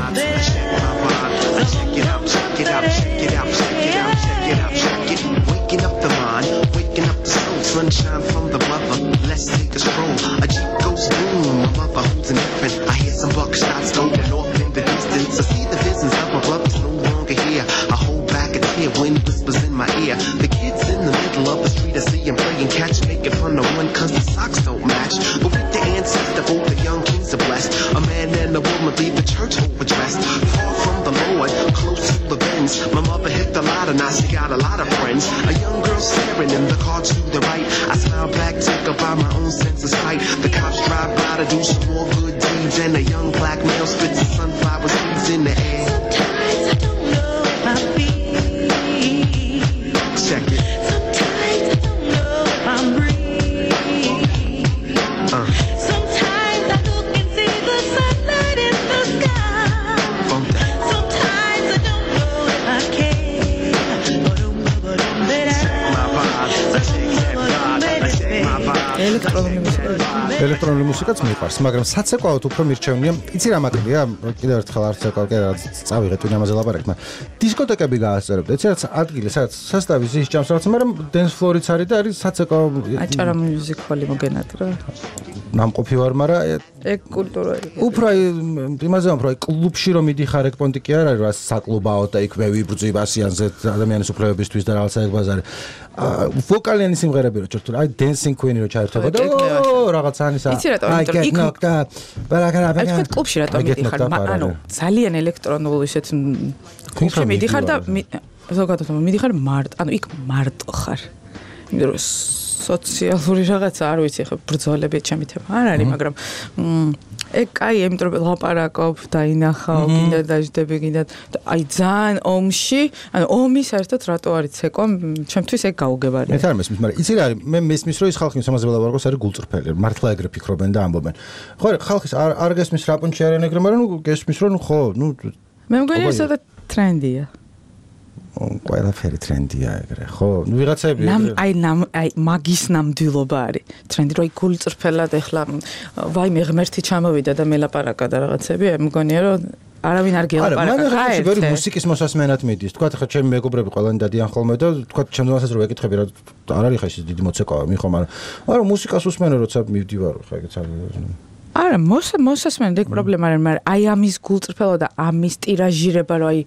Sunshine from the mother, let's take a stroll. A Jeep goes boom, my mother holds an infant. I hear some buckshots going off in the distance. I see the visions of my brothers no longer here. I hold back a tear when whispers in my ear. The kids in the middle of the street I see them praying catch, making fun of one cause the socks don't match. But with the ancestor, both the young kings are blessed. A man and a woman leave the church overdressed. Far from the Lord, close to the bends. My mother hit the lot and now she got a lot of friends. A young girl staring in the car to the right. I smile back, take up by my own sense of sight. The cops drive by to do some more good deeds, and a young black male spits the sunflower seeds in the air. Sometimes I don't know if I'm free. Check it. Sometimes I don't know if I'm breathing. Sometimes I look and see the sunlight in the sky. Sometimes I don't know if I care. ელექტრონული მუსიკაც მიყვარს, მაგრამ საცეკვაოდ უფრო მირჩევნია. იცი რა მაკლია? კიდევ ერთხელ არ ცეკვავ, კი რა წავიღეთ ვინ ამაზე ლაპარაკით, მაგრამ დისკოტეკები გაასწორებთ. იცი რა ადგილი, სადაც სასტავი ზის ჭამს რაღაც, მაგრამ dance floor-იც არის და არის საცეკვაო. აჭარა მუსიკალი მოგენატრა. ნამყოფი ვარ, მაგრამ ეგ კულტურა. უფრო იმაზე უფრო კლუბში რომ მიდიხარ ეგ პონტი კი არ არის რა საკლუბაო და იქ მე ვიბრძვი ასიანზე ადამიანის უფლებებისთვის და რაღაცა ეგ ბაზარი. ვოკალიანი სიმღერები რო ჩართული, აი Dancing Queen რო ჩაერთობა და რაღაც ანისა. აი თქვენ კლუბში რატომ მიდიხარ? ანუ ძალიან ელექტრონულ ისეთ კლუბში მიდიხარ და ზოგადად მიდიხარ მარტო, ანუ იქ მარტო ხარ. იმიტომ რომ სოციალური რაღაცა არ ვიცი ხა ბრძოლები ჩემი თემა არ არის, მაგრამ ეგ კაი, იმიტომ რომ ლაპარაკობ და ინახავ, კიდე დაждები, კიდე აი ძალიან ომში, ანუ ომი საერთოდ რატო არის ცეკვა, ჩემთვის ეგ გაუგებარია. მე თარ მესმის, მაგრამ იცი რა არის, მე მესმის რომ ის ხალხი სამაზე ველაპარაკოს არის გულწრფელი, მართლა ეგრე ფიქრობენ და ამბობენ. ხო, ხალხის არ გესმის რა პონჩი არიან ეგრე, მაგრამ ნუ გესმის რომ ხო, ნუ მე მგონია ეს და ტრენდია. ყველაფერი ტრენდია ეგრე, ხო? ნუ ვიღაცები აი მაგის ნამდვილობა არის. ტრენდი რო გულწრფელად ეხლა ვაიმე ღმერთი ჩამოვიდა და მელაპარაკა და რაღაცები, მგონია რომ არავინ არ გელაპარაკა. აი, მე მუსიკის მოსასმენად მიდის. თქვა ხა ჩემი მეგობრები ყველანი დადიან ხოლმე და თქვა ჩემთანაც რო ვეკითხები რა არ არის ხა ის დიდი მოცეკვავა მიხო, მაგრამ მუსიკას უსმენო როცა მივდივარ ხა ეგეც არის. არა, მოსასმენად ეგ პრობლემა არის, მაგრამ აი ამის გულწრფელობა და ამის ტირაჟირება, რომ აი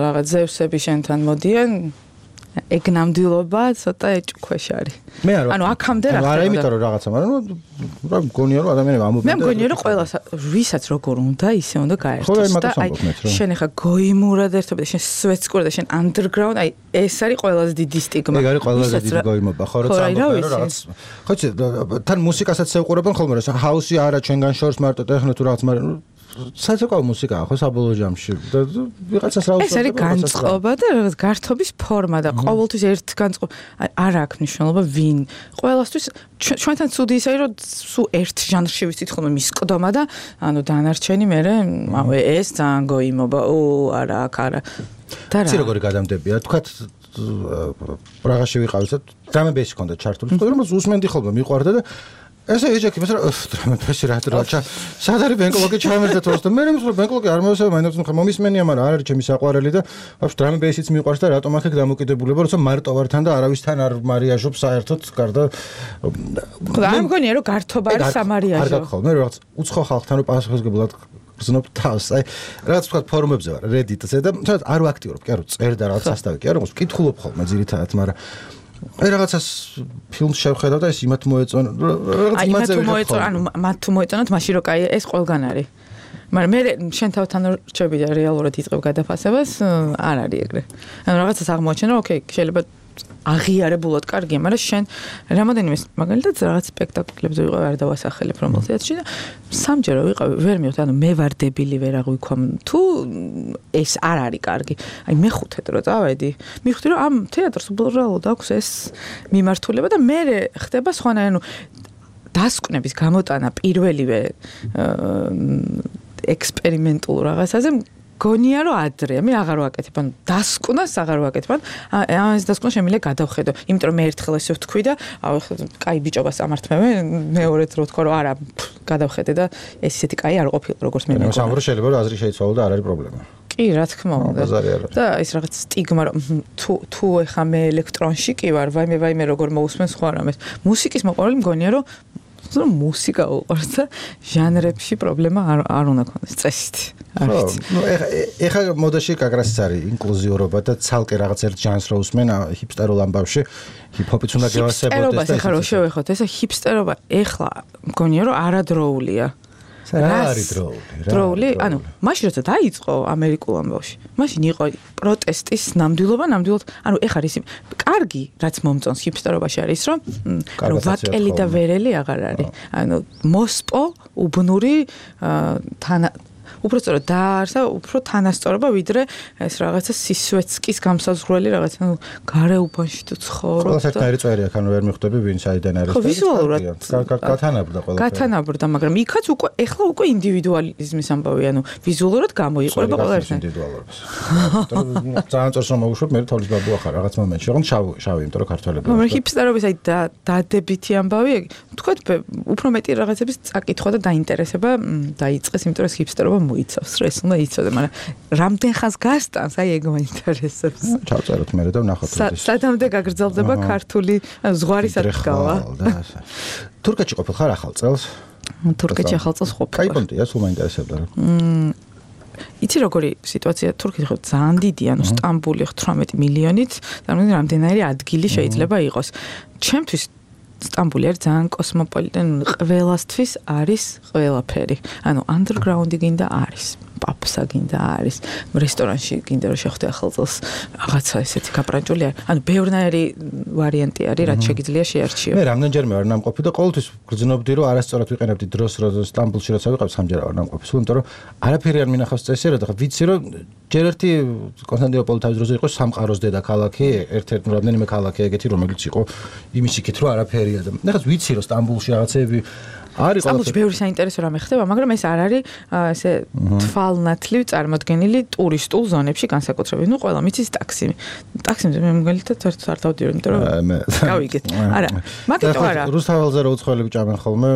რაღაც ზევსები შენთან მოდიან, ეგ ნამდვილობა ცოტა ეჭქვეშ არის. ანუ აქამდე რა ხდება? არა, იმიტომ რომ რაღაცა, მაგრამ რა მგონია რომ ადამიანები ამობენ. მე მგონია რომ ყველას ვისაც როგორ უნდა, ისე უნდა გაერთოს და აი შენ ახლა გოიმურად ერთობ და შენ სვეტსკურ და შენ underground, აი ეს არის ყველაზე დიდი სტიგმა. ეგ არის ყველაზე დიდი გოიმობა, ხო რა წამბობენ რომ რაღაც. ხო იცი, თან მუსიკასაც ეუყურებენ ხოლმე რა, ჰაუსი არა ჩვენგან შორს მარტო ტექნო თუ რაღაც, მაგრამ საერთოდ მუსიკაა ხო საბოლოო ჯამში და ვიღაცას რა უწევს. ეს არის განწყობა და რაღაც გართობის ფორმა და ყოველთვის ერთ განწყობა არ აქვს მნიშვნელობა ვინ. ყველასთვის ჩვენთან ცუდი ის არის რომ სულ ერთ ჟანრში ვიცით ხოლმე მისკდომა და ანუ დანარჩენი მე ეს ძალიან გოიმობა. არა, აქ არა. და რა. ცი როგორი გადამდებია? თქვათ პრაღაში ვიყავით და დრამებეისი ჰქონდა ჩართული. რომ უსმენდი ხოლმე მიყვარდა და ესე ეჭექი მე დრამებეისი რა სად არის ბენკოლოგი ჩამერდა თორს და მე რომ ბენკოლოგი არ მოვესწრე მაინც ხა მომისმენია, მაგრამ არ არის ჩემი საყვარელი და ვაფშე დრამებეისიც მიყვარს და რატომ აქ დამოკიდებულება, როცა მარტო ვარ თან და არავისთან არ მარიაჟობ საერთოდ გარდა ხო არ მგონია რომ გართობა არის სამარიაჟო. არ გაგხვალ მე რაღაც უცხო ხალხთან რომ პასუხისმგებლად გზნობ თავს. აი რაღაც თქვა ფორუმებზე ვარ Reddit-ზე და თუნდაც არ ვაქტიურობ, კი არა წერ და რაღაც ასთავი, კი არა ვკითხულობ ხოლმე ძირითადად, მაგრამ აი რაღაცას ფილმს შევხედავ და ეს იმათ მოეწონა რაღაც იმაზე ვიყავ. ანუ მათ თუ მოეწონათ მაშინ რო კაი ეს ყველგან არის. მაგრამ მე შენ თავთან რჩები და რეალურად იწყებ გადაფასებას არ არის ეგრე. ანუ რაღაცას აღმოაჩენ რომ ოკეი შეიძლება აღიარებულად კარგია, მაგრამ შენ რამოდენიმე მაგალითად რაღაც სპექტაკლებზე ვიყავ არ დავასახელებ რომელზეც და სამჯერ ვიყავ ვერ მივხვდი, ანუ მე ვარ დებილი ვერ აღვიქვამ თუ ეს არ არის კარგი. აი მეხუთედ რო წავედი, მივხვდი რომ ამ თეატრს უბრალოდ აქვს ეს მიმართულება და მე ხდება სხვანაირი, ანუ დასკვნების გამოტანა პირველივე ექსპერიმენტულ რაღაცაზე გონია რომ ადრეა, მე აღარ ვაკეთებ, ანუ დასკვნას აღარ ვაკეთებ, ამას დასკვნა შემიძლია გადავხედო, იმიტომ რომ მე ერთხელ ესე ვთქვი და კაი ბიჭობას ამართმევე, მეორედ რო თქვა რომ არა, გადავხედე და ეს ისეთი კაი არ ყოფილა როგორც მე მეგონა. სამბრო შეიძლება რომ აზრი შეიცვალო და არ არის პრობლემა. კი, რა თქმა უნდა. და ეს რაღაც სტიგმა რომ თუ ეხა მე ელექტრონში კი ვარ, ვაიმე როგორ მოусმენ სხვა რამეს. მუსიკის მოყვარული მგონია რომ მუსიკა უყვარს და ჟანრებში პრობლემა არ უნდა ქონდეს წესით. ნუ ეხა მოდაში კაგრასიც არის ინკლუზიურობა და ცალკე რაღაც ერთ ჟანრს რო usmen ჰიპსტერულ ამბავში ჰიპ-ჰოპიც უნდა გევასებოდეს და ეხა რო შევეხოთ ეს ჰიპსტერობა ეხლა მგონია რომ არადროულია. რა არის დროული? ანუ მაშინ როცა დაიწყო ამერიკულ ამბავში, მაშინ იყო პროტესტის ნამდვილობა, ანუ ეხარ ის კარგი რაც მომწონს ჰიპსტერობაში არის რომ ვაკელი და ვერელი აღარ არის. ანუ მოსპო უბნური უბრალოდ დაარსა უფრო თანასწორობა ვიდრე ეს რაღაცა სისვეცკის გამსაზღვრელი რაღაცა ნუ გარეუბანში თუ ცხოვრობ. ყველა საერთოდ წვერი აქ ანუ ვერ მიხვდები ვინ საიდან არის. ხო ვიზუალურად გათანაბრდა ყველა. გათანაბრდა, მაგრამ იქაც უკვე ეხლა უკვე ინდივიდუალიზმის ამბავი, ანუ ვიზუალურად გამოიყურება ყველა ერთი. ინდივიდუალურობის. ძალიან წორს რომ მოვუშვებ მე თოლის ბაბუ ახარ რაღაც მომენტში, ოღონდ შავი, იმიტომ რომ ქართველები. მაგრამ ჰიპსტერობის აი დადებითი ამბავი, თქვათ უფრო მეტი რაღაცების წაკითხვა და დაინტერესება დაიწყეს, იმიტომ რომ ჰიპსტერობა მოიცავს, ეს უნდა იცოდე, მაგრამ რამდენ ხანს გასტანს, აი ეგ მაინტერესებს. ჩავწეროთ მე და ვნახოთ ეს. სადამდე გაგრძელდება ქართული ზღვარი სადღავა. თურქეთში ყოფილ ხარ ახალ წელს? თურქეთში ახალ წელს ყოფილი. კაი პონტია, სულ მაინტერესებდა რა. იცი როგორი სიტუაცია თურქეთში ხო ძალიან დიდი, ანუ სტამბული 18 მილიონით, წარმოიდგინე რამდენიმე ადგილი შეიძლება იყოს. ჩემთვის სტამბული არის ძალიან კოსმოპოლიტენი, ყველასთვის არის ყველაფერი. ანუ underground-ი გინდა არის. პაპსა გინდა არის, რესტორანში გინდა რომ შეხვდე ახალ წელს რაღაცა ესეთი გაპრანჭული არის. ანუ ბევრნაირი ვარიანტი არის, რაც შეგიძლია შეარჩიო. მე რამდენჯერმე ვარ ნამყოფი და ყოველთვის გრძნობდი რომ არასწორად ვიყენებდი დროს, რომ სტამბულში როცა ვიყავ, სამჯერ ვარ ნამყოფი. სულ იმიტომ რომ არაფერი არ მინახავს წესიერად, ხა ვიცი რომ ჯერ ერთი კონსტანტინოპოლი თავის დროზე იყო სამყაროს დედაქალაქი, ერთ-ერთი რამდენიმე ქალაქი ეგეთი რომელიც იყო იმის იქით რომ არაფერია და ნახაც ვიცი რომ სტამბულში რაღაცეები არის სტამბულში ბევრი საინტერესო რამე ხდება, მაგრამ ეს არ არის ესე თვალნათლივ წარმოდგენილი ტურისტულ ზონებში განსაკუთრებით. ნუ ყველა მიცის ტაქსი. ტაქსიმზე მე მაგალითად არ დავდიოდი, იმიტომ რომ გავიგეთ. არა, მაგიტო არა. რუსთაველზე რო უცხოელები ჭამენ ხოლმე.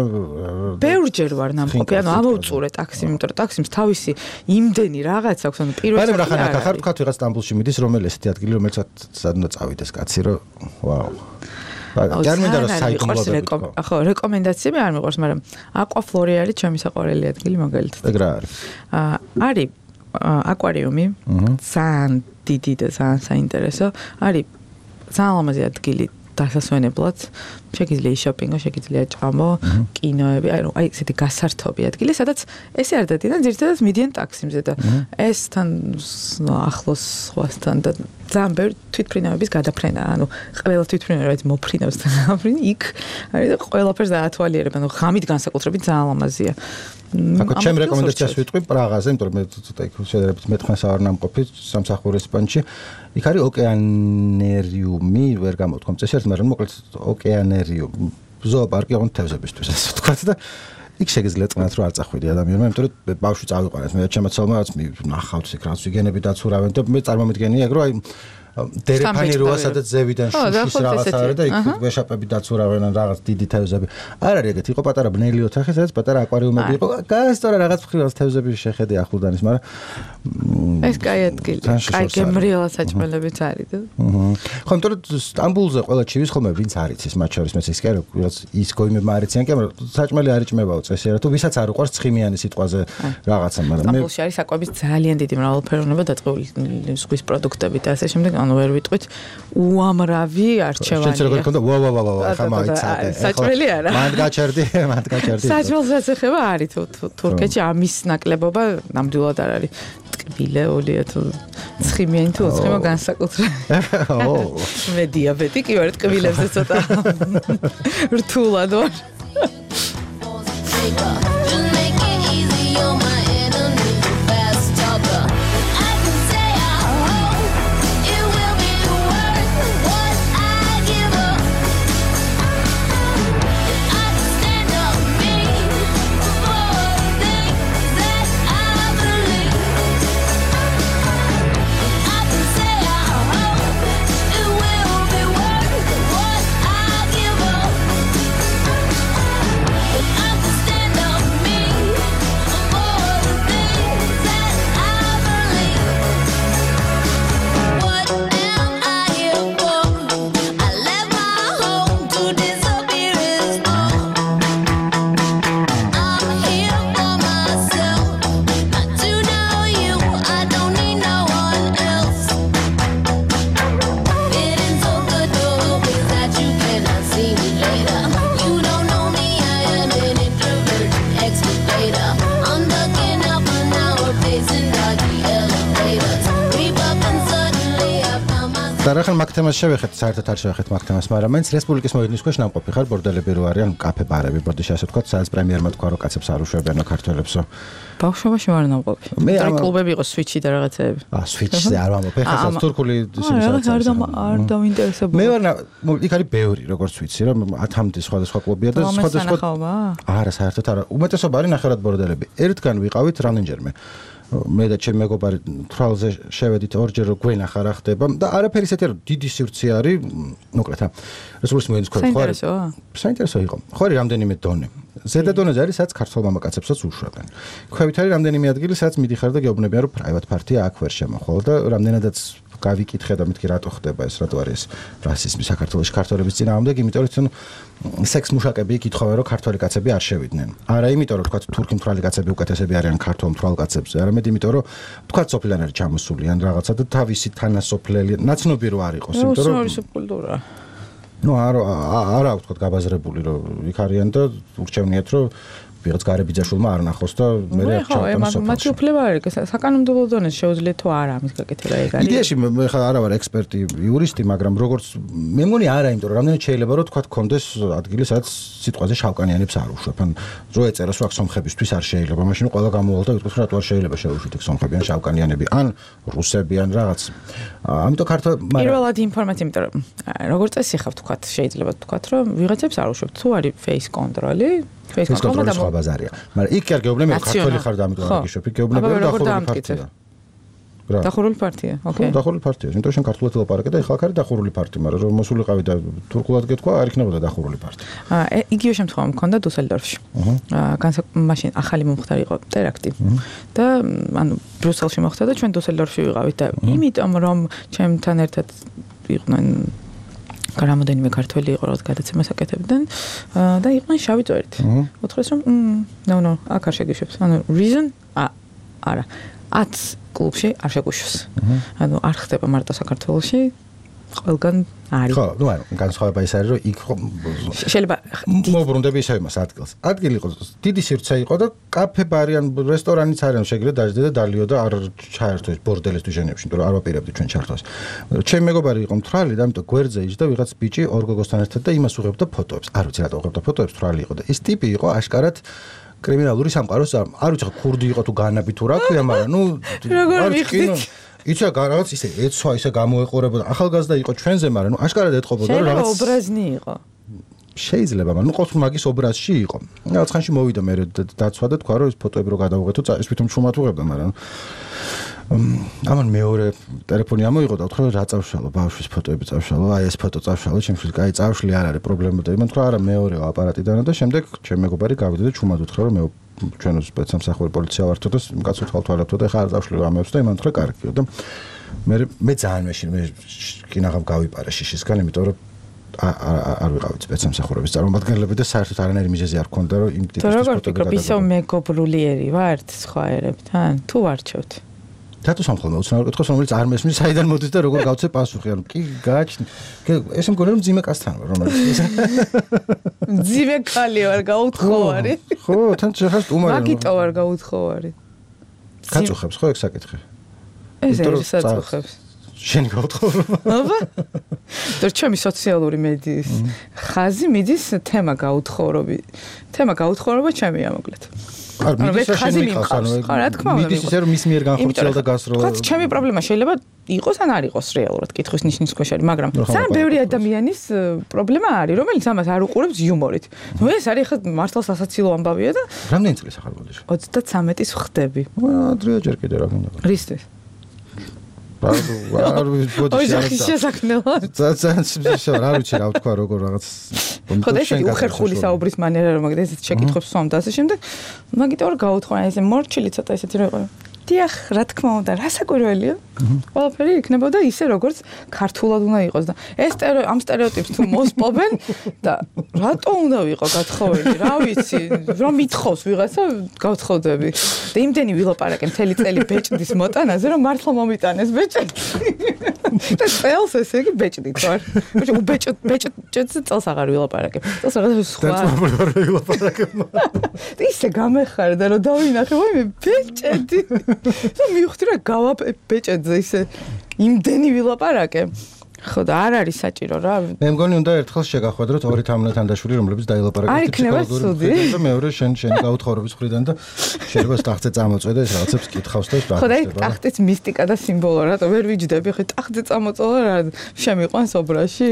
ბევრჯერ ვარ ნამყოფი, ანუ ამოვწურე ტაქსიმ, იმიტომ რომ ტაქსიმს თავისი იმდენი რაღაც აქვს, ანუ პირველ რიგში. მაგრამ რა ხარ თქვა ვიღაც სტამბულში მიდის, რომელი ესეთი ადგილი, რომელსაც სადნა წავიდეს კაცი, რომ ვაუ. არ მინდა რომ საიდუმლოები. ხო, რეკომენდაციები არ მიყვარს, მაგრამ აკვაფლორი არის ჩემი საყვარელი ადგილი მაგალითად. ეგ რა არის? არის აკვარიუმი, ძალიან დიდი და ძალიან საინტერესო. არის ძალიან ლამაზი ადგილი დასასვენებლად. შეგიძლია შოპინგო, შეგიძლია ჭამო, კინოები, აი ესეთი გასართობი ადგილი, სადაც ესე არ დადიან, ძირითადად მიდიან ტაქსიმზე და ესთან ახლოს სხვასთან და ძალიან ბევრი თვითფრინავების გადაფრენა, ანუ ყველა თვითფრინავი მოფრინავს და გაფრინ იქ არის და ყველაფერს დაათვალიერებ, ანუ ღამით განსაკუთრებით ძალიან ლამაზია. აკო ჩემ რეკომენდაციას ვიტყვი პრაღაზე, იმიტომ რომ მე ცოტა იქ შედარებით მეთხმეს არ ნამყოფი სამსახურის პანჩი. იქ არის ოკეანერიუმი, ვერ გამოვთქვამ წესიერ, მაგრამ მოკლედ ოკეანერიუმი, ზოოპარკი ოღონდ თევზებისთვის ასე ვთქვათ და იქ შეგიძლია წნათ რომ არ წახვიდი ადამიანმა, იმიტომ რომ ბავშვი წავიყვანეთ, მე ჩემაცალმა რაც ნახავთ იქ რაც ვიგენები დაცურავენ და მე წარმომიდგენია ეგ რომ აი დერეფანი როა სადაც ზევიდან შუშის რაღაცა არის და იქ ვეშაპები დაცურავენ ან რაღაც დიდი თევზები. არ არის ეგეთი, იყო პატარა ბნელი ოთახი, სადაც პატარა აკვარიუმები იყო. გასწორა რაღაც ფრინველის თევზები შეხედე ახლდანის, მაგრამ ეს კაი ადგილი. კაი გემრიელა საჭმელებიც არის და. ხო, იმიტომ რომ სტამბულზე ყველა ჩივის ხოლმე ვინც არ იცის, მათ შორის მეც ის კი არა, ვიღაც ის გოიმებმა არ იციან კი, მაგრამ საჭმელი არ იჭმებაო წესიერად, თუ ვისაც არ უყვარს ცხიმიანი სიტყვაზე რაღაცა, მაგრამ მე სტამბულში არის საკვების ძალიან დიდი მრავალფეროვნება დაწყებული ზღვის პროდუქტებით და ასე შემდეგ. ანუ ვერ ვიტყვით უამრავი არჩევანია. შეიძლება როგორ ქონდა ვა ხა მაიცადე. საჭმელი არა. მანდ გაჩერდი. საჭმელსაც ეხება არის თურქეთში ამის ნაკლებობა ნამდვილად არ არის. ტკბილეულია თუ ცხიმიანი თუ ცხიმო განსაკუთრებით. მე დიაბეტიკი ვარ, ტკბილებზე ცოტა რთულად ვარ. და ახლა მაგ თემას შევეხეთ, საერთოდ არ შევეხეთ მაგ თემას, მაგრამ მაინც რესპუბლიკის მოედნის ქვეშ ნამყოფი ხარ, ბორდელები რო არიან, კაფე ბარები, ბორდეში ასე ვთქვათ, სადაც პრემიერმა თქვა რომ კაცებს არ უშვებიანო ქართველებსო. ბავშვობაში ვარ ნამყოფი. მე კლუბები იყო სვიჩი და რაღაცეები. სვიჩზე არ ვამბობ, ეხლა თურქული სიმსაცი. არ დავინტერესებული. მე ვარ იქ არის ბევრი, როგორც ვიცი, რომ 10-მდე სხვადასხვა კლუბია და სხვადასხვა. არა, საერთოდ არა. უმეტესობა არის ნახევრად ბორდელები. ერთგან ვიყავით რამდენჯერმე. მე და ჩემი მეგობარი თვალზე შევედით ორჯერ რომ გვენახა რა ხდება და არაფერი ისეთი არ დიდი სივრცე არის, მოკლედ რა. რესპუბლიკის მოედნის ქვეშ ხო არის? საინტერესო იყო. ხო არის რამდენიმე დონე. ზედა დონეზე არის, სადაც ქართველ მამაკაცებსაც უშვებენ. ქვევით არის რამდენიმე ადგილი, სადაც მიდიხარ და გეუბნებიან რომ private party აქ ვერ შემოხვალ და რამდენადაც გავიკითხე და მეთქი რატო ხდება ეს, რატო არის რასიზმი საქართველოში ქართველების წინააღმდეგ, იმიტომ რომ სექს მუშაკები იკითხავენ რომ ქართველი კაცები არ შევიდნენ. არა იმიტომ რომ თქვა თურქი მთვრალი კაცები უკეთესები არიან ქართულ მთვრალ კაცებზე, არამედ იმიტომ რომ თქვა სოფლიდან არის ჩამოსული ან რაღაცა და თავისი თანასოფლელი ნაცნობი რო არ იყოს, იმიტომ რომ ის კულტურა. ნუ არა აქვს თქვა გაბაზრებული რომ იქ არიან და ურჩევნიათ რომ ვიღაც გარებიძაშვილმა არ ნახოს და მე რა ჩავყავ. მათი უფლება არის საკანონმდებლო დონეზე შეუძლიათ თუ არა ამის გაკეთება ეგ არის. იდეაში მე ხა არა ვარ ექსპერტი, იურისტი, მაგრამ როგორც მე მგონი არა, იმიტომ რომ რამდენად შეიძლება რომ თქვა კონდეს ადგილი სადაც სიტყვაზე შავკანიანებს არ უშვებ. ან რო ეწეროს რომ აქ სომხებისთვის არ შეიძლება, მაშინ ყველა გამოვალ და ვიტყვით რომ რატო არ შეიძლება შევუშვით ეგ სომხები ან შავკანიანები ან რუსები ან რაღაც. ამიტომ ქართულ პირველად ინფორმაცია, იმიტომ რომ როგორც წესი ხავთ თქვა შეიძლება თქვა რომ ვიღაცებს არ უშვებთ თუ არის face control-ი ეს კონტროლის სხვა ბაზარია. მაგრამ იქ არ გეუბნები რომ ქართველი ხარ და ამიტომ არ გიშობ. იქ გეუბნები რომ დახურული პარტია. დახურული პარტია. ოკეი. დახურული პარტია. იმიტომ რომ შენ ქართულად ელაპარაკე და ეხლა არის დახურული პარტია, მაგრამ რომ მოსულიყავი და თურქულად გეთქვა, არ იქნებოდა დახურული პარტია. იგივე შემთხვევა მქონდა დუსელდორფში. მაშინ ახალი მომხდარი იყო ტერაქტი. და ანუ ბრიუსელში მოხდა და ჩვენ დუსელდორფში ვიყავით და იმიტომ რომ ჩემთან ერთად იყვნენ რამოდენიმე ქართველი იყო რაღაც გადაცემას აკეთებდნენ და იყვნენ შავი წვერით. უთხრეს რომ no აქ არ შეგიშვებს. ანუ reason არა. 10 კლუბში არ შეგუშვს. ანუ არ ხდება მარტო საქართველოში, ყველგან არის. ხო, ნუ არა, განსხვავება ის არის რომ იქ შეიძლება მოbrunდები ისევ იმას ადგილს. ადგილი იყო, დიდი სივრცე იყო და კაფე, ბარი ან რესტორანიც არიან, შეგიძლია დაждდე და დალიო და არ ჩაერთო ეს ბორდელისთვის ჟენევში, იმიტომ რომ არ ვაპირებდი ჩვენ ჩართვას. ჩემი მეგობარი იყო მთვრალი და ამიტომ გვერდზე იჯდა ვიღაც ბიჭი ორ გოგოსთან ერთად და იმას უღებდა ფოტოებს. არ ვიცი რატო უღებდა ფოტოებს, მთვრალი იყო და ეს ტიპი იყო აშკარად კრიმინალური სამყაროს არ ვიცი ხო ქურდი იყო თუ განაბი თუ რა ქვია, მაგრამ ნუ როგორ მიხდით იცი რაღაც ისე ეცვა ისე გამოეყურებოდა ახალგაზრდა იყო ჩვენზე, მაგრამ ნუ აშკარად ეთყობოდა რომ რაღაც ობრაზნი იყო. შეიძლება, მაგრამ ნუ ყოველ მაგის ობრაზში იყო. რაღაც ხანში მოვიდა მე დაცვა და თქვა რომ ეს ფოტოები რო გადავუღეთო, წაის თვითონ ჩუმად უღებდა, მაგრამ ამან მეორე ტელეფონი ამოიღო და უთხრა რა წავშალო, ბავშვის ფოტოები წავშალო, აი ეს ფოტო წავშალო, ჩემთვის კაი წავშლი არ არის პრობლემა და იმან თქვა არა მეორეო აპარატიდან და შემდეგ ჩემ მეგობარი გავიდა და ჩუმად უთხრა რომ მე ჩვენო სპეცსამსახური პოლიცია ვართო და კაც უთვალთვალებთო და ხა არ წავშლი ამებს და იმან თქვა კარგიო და მე ძალიან მეშინ მე კინაღამ გავიპარე შიშისგან, იმიტომ რომ არ ვიყავით სპეცსამსახურების წარმომადგენლები და საერთოდ არანაირი მიზეზი არ ქონდა რომ იმ ტიპის ფოტოები გადაგებო. ისო მეგობრულიერი ვართ სხვა ერებთან თუ ვარჩევთ? რატო სამხელმე უცნაურ კითხავს, რომელიც არ მესმის, საიდან მოდის და როგორ გავცე პასუხი? ანუ კი გააჩნი. ესე მგონი რომ ძიმე კაცთან ვარ, რომელიც ძიმე კალი ვარ, გაუთხოვარი. ხო, თან შეხას უმარი. მაგიტო ვარ გაუთხოვარი. გაწუხებს ხო ეგ საკითხი? ეს არის საწუხებს. შენ გაუთხოვრო. აბა. და ჩემი სოციალური მედიის ხაზი მიდის თემა გაუთხოვრობი. თემა გაუთხოვრობა ჩემი ამოკლეთ. არ მიდის შენი მიყავს, ანუ რა თქმა უნდა. მიდის ისე რომ მის მიერ განხორციელდა გასროლა. ხაც ჩემი პრობლემა შეიძლება იყოს ან არ იყოს რეალურად კითხვის ნიშნის ქვეშ არის, მაგრამ ძალიან ბევრი ადამიანის პრობლემა არის, რომელიც ამას არ უყურებს იუმორით. ნუ ეს არის ხა მართლა სასაცილო ამბავია და რამდენი წლის ახალ ბოდიში? 33-ის ვხდები. ადრეა ჯერ კიდე რა გინდა. რისთვის? არ ვიცი ბოდიში. ოღონდ შესაქმნელად. ძალიან არ ვიცი რა ვთქვა როგორ რაღაც ხო და ესეთი უხერხული საუბრის მანერა რომ მაგ ესეთ შეკითხვებს სვამ და ასე შემდეგ მაგით ორ გაუთხოვნა ესე მორჩილი ცოტა ესეთი რო იყო. დიახ, რა თქმა უნდა, რა საკვირველია? ყველაფერი იქნებოდა ისე როგორც ქართულად უნდა იყოს და ეს ამ სტერეოტიპს თუ მოსპობენ და რატო უნდა ვიყო გათხოვილი? რა ვიცი, რომ მithხოვს ვიღაცა გავთხოვდები. და იმდენი ვილაპარაკე მთელი წელი ბეჭდის მოტანაზე, რომ მართლა მომიტანეს ბეჭდი. და წელს ესე იგი ბეჭდით ვარ. ბეჭდს წელს აღარ ვილაპარაკე. წელს რაღაცა სხვა. არ ვილაპარაკე. ისე გამეხარდა რომ დავინახე, ვაიმე ბეჭდი. და მივხვდი რა გავა ბეჭედზე ისე იმდენი ვილაპარაკე. ხო და არ არის საჭირო რა. მე მგონი უნდა ერთხელ შეგახვედროთ ორი თამნათანდაშვილი, რომლებიც დაილაპარაკეთ ფსიქოლოგიური და მეორე შენი გაუთხოვრობის მხრიდან და შეიძლება ტახტზე წამოწვე და ეს რაღაცებს კითხავს და ხო და ტახტის მისტიკა და სიმბოლო რატო ვერ ვიჯდები ხე ტახტზე წამოწოლა რა შემიყვანს ობრაში?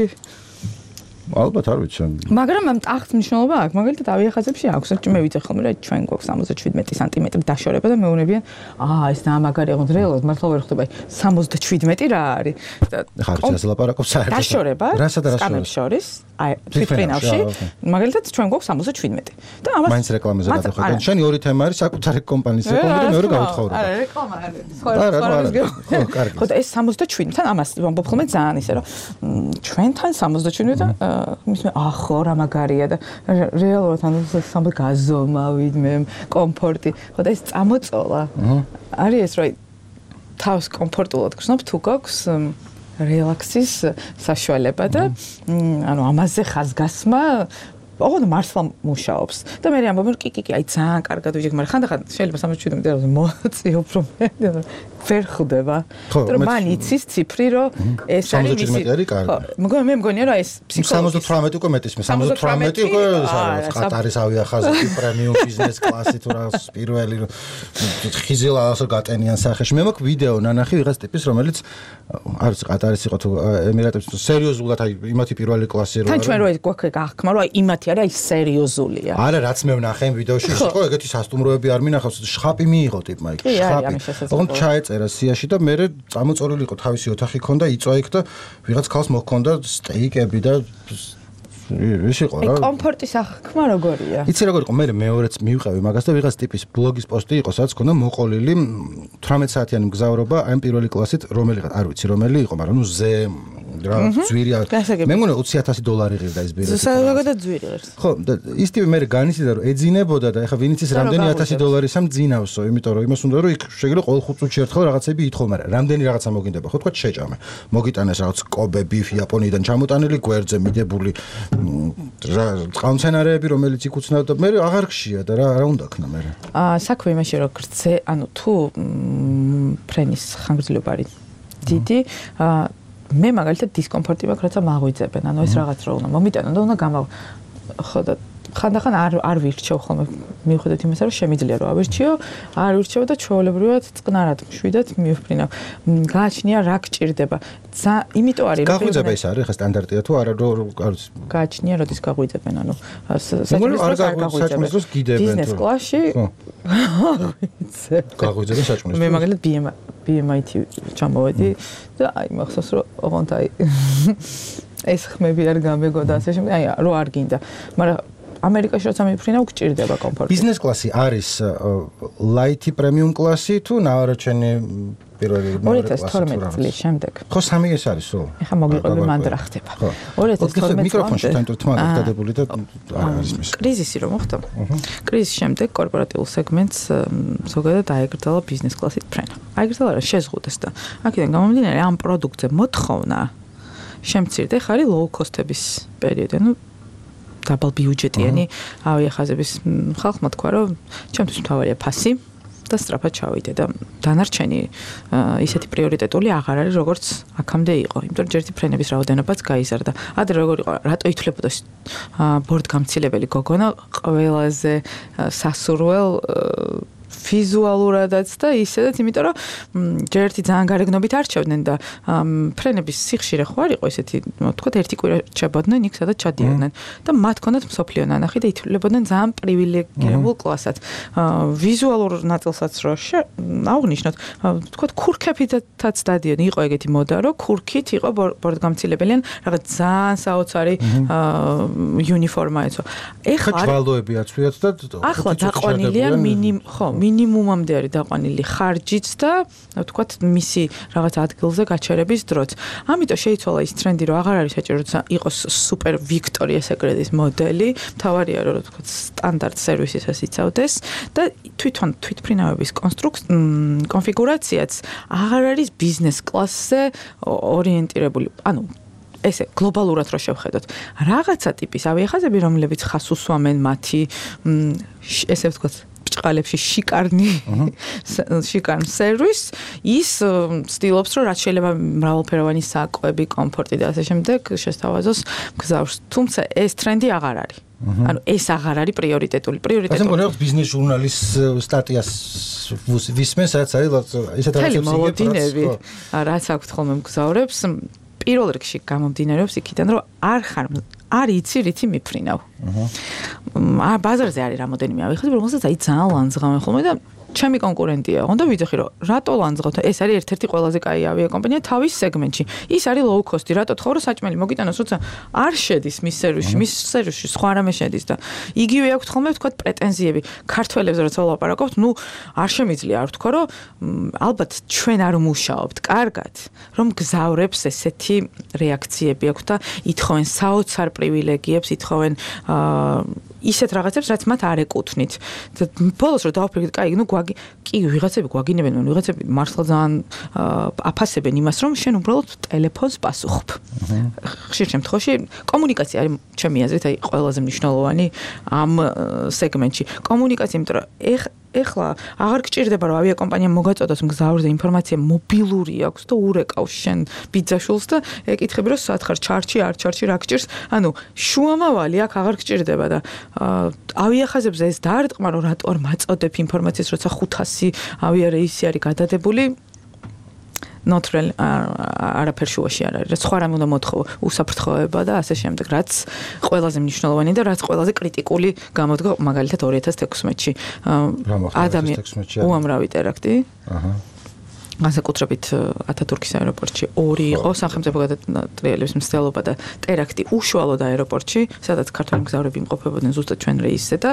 ალბათ არ ვიცი. მაგრამ ამ ტახტს მნიშვნელობა აქვს. მაგალითად ავიახაზებში აქვს. მე ვიცი ხოლმე რა ჩვენ გვაქვს 77 სანტიმეტრი დაშორება და მეუბნებიან, ეს დამაგარი აღონ რეალურად მართლა ვერ ხვდება. 77 რა არის? ხარ შეიძლება ლაპარაკობ საერთოდ. დაშორება. რასა და რას სკამებს შორის თვითფრინავში, მაგალითად ჩვენ გვაქვს 77 და ამას მაინც რეკლამაზე გადავხედავ. შენი ორი თემა არის საკუთარი კომპანიის რეკლამა და მეორე გაუთხოვრება. არა, რეკლამა არის. ხო, კარგი. ხო, ეს 77-თან ამას ვამბობ ხოლმე ძალიან ისე რომ ჩვენთან 77 და მისმე ახო რა მაგარია და რეალურად ანუ სამბ გაზომავით მე კომფორტი. ხო და ეს წამოწოლა. არის ეს რომ თავს კომფორტულად გრძნობ თუ გაქვს რელაქსის საშუალება და ანუ ამაზე ხაზგასმა ოღონდ მართლა მუშაობს და მე ამბობ კი აი ძალიან კარგად ვიჯექ მაგრამ ხანდახან შეიძლება 77 მეტი მოწიო უფრო ვერ ხვდება რომ მან იცის ციფრი რომ ეს არის მისი 77 არის კარგი ხო მე მგონია რომ ეს ფსიქოლოგია 78 უკვე მეტის მე 78 უკვე ყატარის ავიახაზი პრემიუმ ბიზნეს კლასი თუ რა პირველი ხიზილა ასე გატენიან სახეში მე მაქვს ვიდეო ნანახი ვიღაც ტიპის რომელიც არის ყატარის იყო თუ ემირატებში სერიოზულად აი იმათი პირველი კლასი რო თან ჩვენ რო ეს გვაქვს გახკმა რომ აი იმათი არა ის სერიოზულია არა რაც მე ვნახე იმ ვიდეოში იყო ეგეთი სასტუმროები არ მინახავს შხაპი მიიღო ტიპმა იქ შხაპი ოღონდ ჩაეწერა სიაში და მე წამოწორილი იყო თავისი ოთახი ქონდა იწვა იქ და ვიღაც ხალხს მოჰქონდა სტეიკები და ის იყო რა კომფორტის აღქმა როგორია იცი როგორ იყო მე მეორეც მივყევი მაგას და ვიღაც ტიპის ბლოგის პოსტი იყო სადაც ქონდა მოყოლილი 18 საათიანი მგზავრობა აი პირველი კლასით რომელიღაც არ ვიცი რომელი იყო მაგრამ ნუ ზე რა ძვირი მე მგონია $20,000 ღირდა ეს ბილეთი ზოგადად ძვირი არის ხო და ის ტიპი მე განიცდიდა რომ ეძინებოდა და ეხა ვინ იცის რამდენი $1,000 სამძინავსო იმიტომ რომ იმას უნდა რომ იქ შეგიძლია ყოველ 5 წუთში ერთხელ რაღაცები ითხოვ მაგრამ რამდენი რაღაცა მოგინდება ხო თქვა შეჭამე მოგიტანეს რაღაც კობე ბიფი იაპონიიდან ჩამოტანილი გვერდზე მიდებული წყალმცენარეები რომელიც იქ უცნაოდ და მე აღარ ხშია და რა უნდა ქნა მე საქმე იმაში რომ გრძე ანუ თუ ფრენის ხანგრძლივობა არის დიდი მე მაგალითად დისკომფორტი მაქვს რაცა მაღვიძებენ ანუ ეს რაღაც რო უნდა მომიტანო და უნდა ხო და ხანდახან არ ვირჩევ ხოლმე მიუხედავად იმისა რომ შემიძლია რომ ავირჩიო არ ვირჩევ და ჩვეულებრივად წყნარად მშვიდად მივფრინავ გააჩნია რა გჭირდება იმიტომ არის რომ გაღვიძება ის არის ხა სტანდარტია თუ არა გააჩნია როდის გაღვიძებენ ანუ საჭმლის დროს გიდებენ ბიზნეს კლასში გაღვიძებენ საჭმლის მე მაგალითად BMIT ჩამოვედი და აი მახსოვს რომ ოღონდ აი ეს ხმები არ გამეგო და ასე შემდეგ აი რო არ გინდა მაგრამ ამერიკაში როცა მიფრინავ გჭირდება კომფორტი. ბიზნეს კლასი არის ლაითი პრემიუმ კლასი თუ ნაარჩენი პირველი 2012 წლის შემდეგ. ხო სამი ეს არის სულ. ეხა მოგიყვები მანდ რა ხდება. 2012 მიკროფონში თან თმაგ დადებული და არის მის. კრიზისი რომ მოხდა. კრიზისის შემდეგ კორპორატიულ სეგმენტს ზოგადად აეგრძალა ბიზნეს კლასით ფრენა. აეგრძალა რა შეზღუდეს და აქედან გამომდინარე ამ პროდუქტზე მოთხოვნა შემცირდა ხარი low cost-ების პერიოდი. ანუ double budget-იანი ავიახაზების ხალხმა თქვა რომ ჩემთვის მთავარია ფასი და სწრაფად ჩავიდე და დანარჩენი ისეთი პრიორიტეტული აღარ არის როგორც აქამდე იყო. იმიტომ რომ ჯერტი ფრენების რაოდენობაც გაიზარდა. ადრე როგორ იყო რატო ითვლებოდა ბორდგამცილებელი გოგონა ყველაზე სასურველ ვიზუალურადაც და ისედაც, იმიტომ რომ ჯერტი ძალიან გარეგნობით არჩევდნენ და ფრენების სიხშირე ხო არ იყო ესეთი, თქვათ ერთი კვირა ჩაბოდნენ იქ სადაც ჩადიოდნენ და მათ ჰქონდათ მსოფლიო ნანახი და ითვლებოდნენ ძალიან პრივილეგირებულ კლასად. ვიზუალურ ნაწილსაც რო აღნიშნოთ, თქვათ ქურქებითაც დადიოდნენ, იყო ეგეთი მოდა, რომ ქურქით იყო ბორდგამცილებელი ან რაღაც ძალიან საოცარი უნიფორმა ეცვა. ეხლა ჭვალოები აცვიათ და ახლა დაყვანილია მინიმუმამდე არის დაყვანილი ხარჯიც და ვთქვათ მისი რაღაც ადგილზე გაჩერების დროც. ამიტომ შეიცვალა ის ტრენდი, რომ აღარ არის საჭირო რომ იყოს სუპერ ვიქტორია სეკრეტის მოდელი, მთავარია რომ ვთქვათ სტანდარტ სერვისისას იცავდეს და თვითონ თვითფრინავების კონფიგურაციაც აღარ არის ბიზნეს კლასზე ორიენტირებული. ანუ ესე გლობალურად რო შევხედოთ, რაღაცა ტიპის ავიახაზები, რომლებიც ხას უსვამენ მათი ესე ვთქვათ ბრჭყალებში შიკარნ სერვის, ის ცდილობს, რომ რაც შეიძლება მრავალფეროვანი საკვები, კომფორტი და ასე შემდეგ შესთავაზოს მგზავრს. თუმცა ეს ტრენდი აღარ არის. ანუ ეს აღარ არის პრიორიტეტული. ასე მგონია ბიზნეს ჟურნალის სტატიას ვისმენს, რაც არის ისეთ რაღაცებს იგებს, რაც აქვთ ხოლმე მგზავრებს, პირველ რიგში გამომდინარეობს იქიდან, რომ არ იცი რითი მიფრინავ. ბაზარზე არის რამოდენიმე ავიხაზები, რომელსაც აი ძალიან ლანძღავენ ხოლმე და ჩემი კონკურენტია, უნდა ვიცი რომ რატო ლანძღავთ? ეს არის ერთ-ერთი ყველაზე კაი ავიაკომპანია თავის სეგმენტში. ის არის low cost-ი, რატო თქო რომ საჭმელი მოგიტანოს, როცა არ შედის მის სერვისში სხვა რამე შედის და იგივე აქვს ხოლმე ვთქვათ პრეტენზიები ქართველებს როცა ვლაპარაკობთ, ნუ არ შემიძლია არ ვთქვა რომ ალბათ ჩვენ არ მუშაობთ კარგად, რომ გზავრებს ესეთი რეაქციები აქვს და ითხოვენ საოცარ პრივილეგიებს, ითხოვენ ისეთ რაღაცებს, რაც მათ არ ეკუთვნით. ბოლოს რომ დავაფიქრეთ, კაი, ნუ კი ვიღაცები გვაგინებენ, ვიღაცები მართლა ძალიან აფასებენ იმას, რომ შენ უბრალოდ ტელეფონს პასუხობ. ხშირ შემთხვევაში კომუნიკაცია არის ჩემი აზრით აი ყველაზე მნიშვნელოვანი ამ სეგმენტში. კომუნიკაცია, იმიტომ რომ ეხლა აღარ გჭირდება რომ ავიაკომპანიამ მოგაწოდოს მგზავრზე ინფორმაცია მობილური აქვს და ურეკავს შენ ბიძაშვილს და ეკითხები რომ სათხარ ჩარჩი არ ჩარჩი რა გჭირს ანუ შუამავალი აქ აღარ გჭირდება და ავიახაზებზე ეს დაარტყმა რომ რატო არ მაწოდებ ინფორმაციას როცა 500 ავიარეისი არის გადადებული ნოტრელ არაფერ შუაში არ არის. რაც სხვა რამე უნდა მოთხოვო, უსაფრთხოება და ასე შემდეგ, რაც ყველაზე მნიშვნელოვანი და რაც ყველაზე კრიტიკული გამოდგა მაგალითად 2016-ში. უამრავი ტერაქტი. განსაკუთრებით ათათურქის აეროპორტში 2 იყო სახელმწიფო გადატრიალების მცდელობა და ტერაქტი უშუალოდ აეროპორტში, სადაც ქართველი მგზავრები იმყოფებოდნენ ზუსტად ჩვენ რეისზე და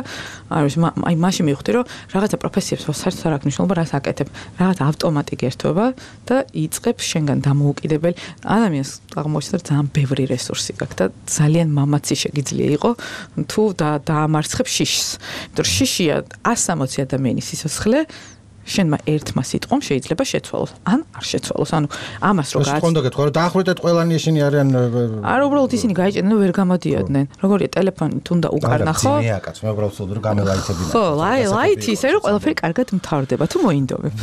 არის აი მაშინ მივხვდი რომ რაღაცა პროფესიებს საერთოდ არ აქვს მნიშვნელობა რას აკეთებ, რაღაც ავტომატი გერთვება და იწყებს შენგან დამოუკიდებელი ადამიანს აღმოჩნდა ძალიან ბევრი რესურსი გაქვს და ძალიან მამაცი შეგიძლია იყო თუ დაამარცხებ შიშს. იმიტომ რომ შიშია 160 ადამიანის სიცოცხლე შენმა ერთმა სიტყვამ შეიძლება შეცვალოს ან არ შეცვალოს. ანუ ამას რო გააც კონდა გეთქვა რომ დაახვრეტეთ ყველანი ისინი არიან არა უბრალოდ ისინი გაიჭედნენ ვერ გამოდიოდნენ. როგორია ტელეფონი თუნდა უკარნა ხო? ძინეა კაც მე უბრალოდ ვცდილობ რომ გამელაითებინა. ხო, ლაითი ისე რომ ყველაფერი კარგად მთავრდება თუ მოინდომებ.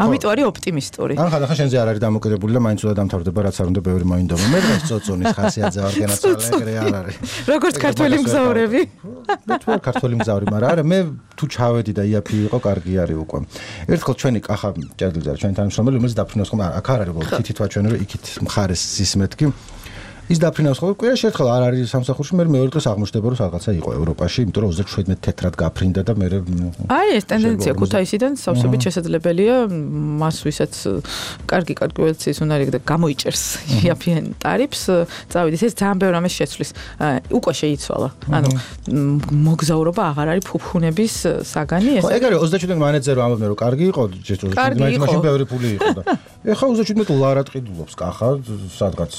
ამიტომ არის ოპტიმისტური. ახლა შენზე არ არის დამოკიდებული და მაინც უნდა დამთავრდება რაც არ უნდა ბევრი მოინდომო. მე დღეს წოწონის ხასიათზე ვარ გენაცვალე არ არის. როგორც ქართველი მგზავრები. მე თუ არ ქართველი მგზავრი, მაგრამ არა მე თუ ჩავედი და იაფი იყო კარგი არის უკვე. ერთხელ ჩვენი ახლა ჭერდლი არის ჩვენი თანამშრომელი, რომელიც დაფრინავს ხომ აქ არ არის უბრალოდ თითითვა ჩვენი რომ იქით მხარეს სისმეთქი. ის დაფრინავს ხომ კვირაში ერთხელ არ არის სამსახურში, მე მეორე დღეს აღმოჩნდება რომ რაღაცა იყო ევროპაში, იმიტომ რომ 37 თეთრად გაფრინდა და მე აი ეს ტენდენცია ქუთაისიდან სავსებით შესაძლებელია მას ვისაც კარგი ველციის უნარი და გამოიჭერს იაფიან ტარიფს, წავიდეს ეს ძალიან ბევრ ამას შეცვლის. უკვე შეიცვალა. ანუ მოგზაურობა აღარ არის ფუფუნების საგანი ეს. ხო, ეგ არის 37 მანეჯერი ამბობდნენ რომ კარგი იყო, მაშინ ბევრი ფული იყო და ეხლა 37 ლარად ყიდულობს კახა სადღაც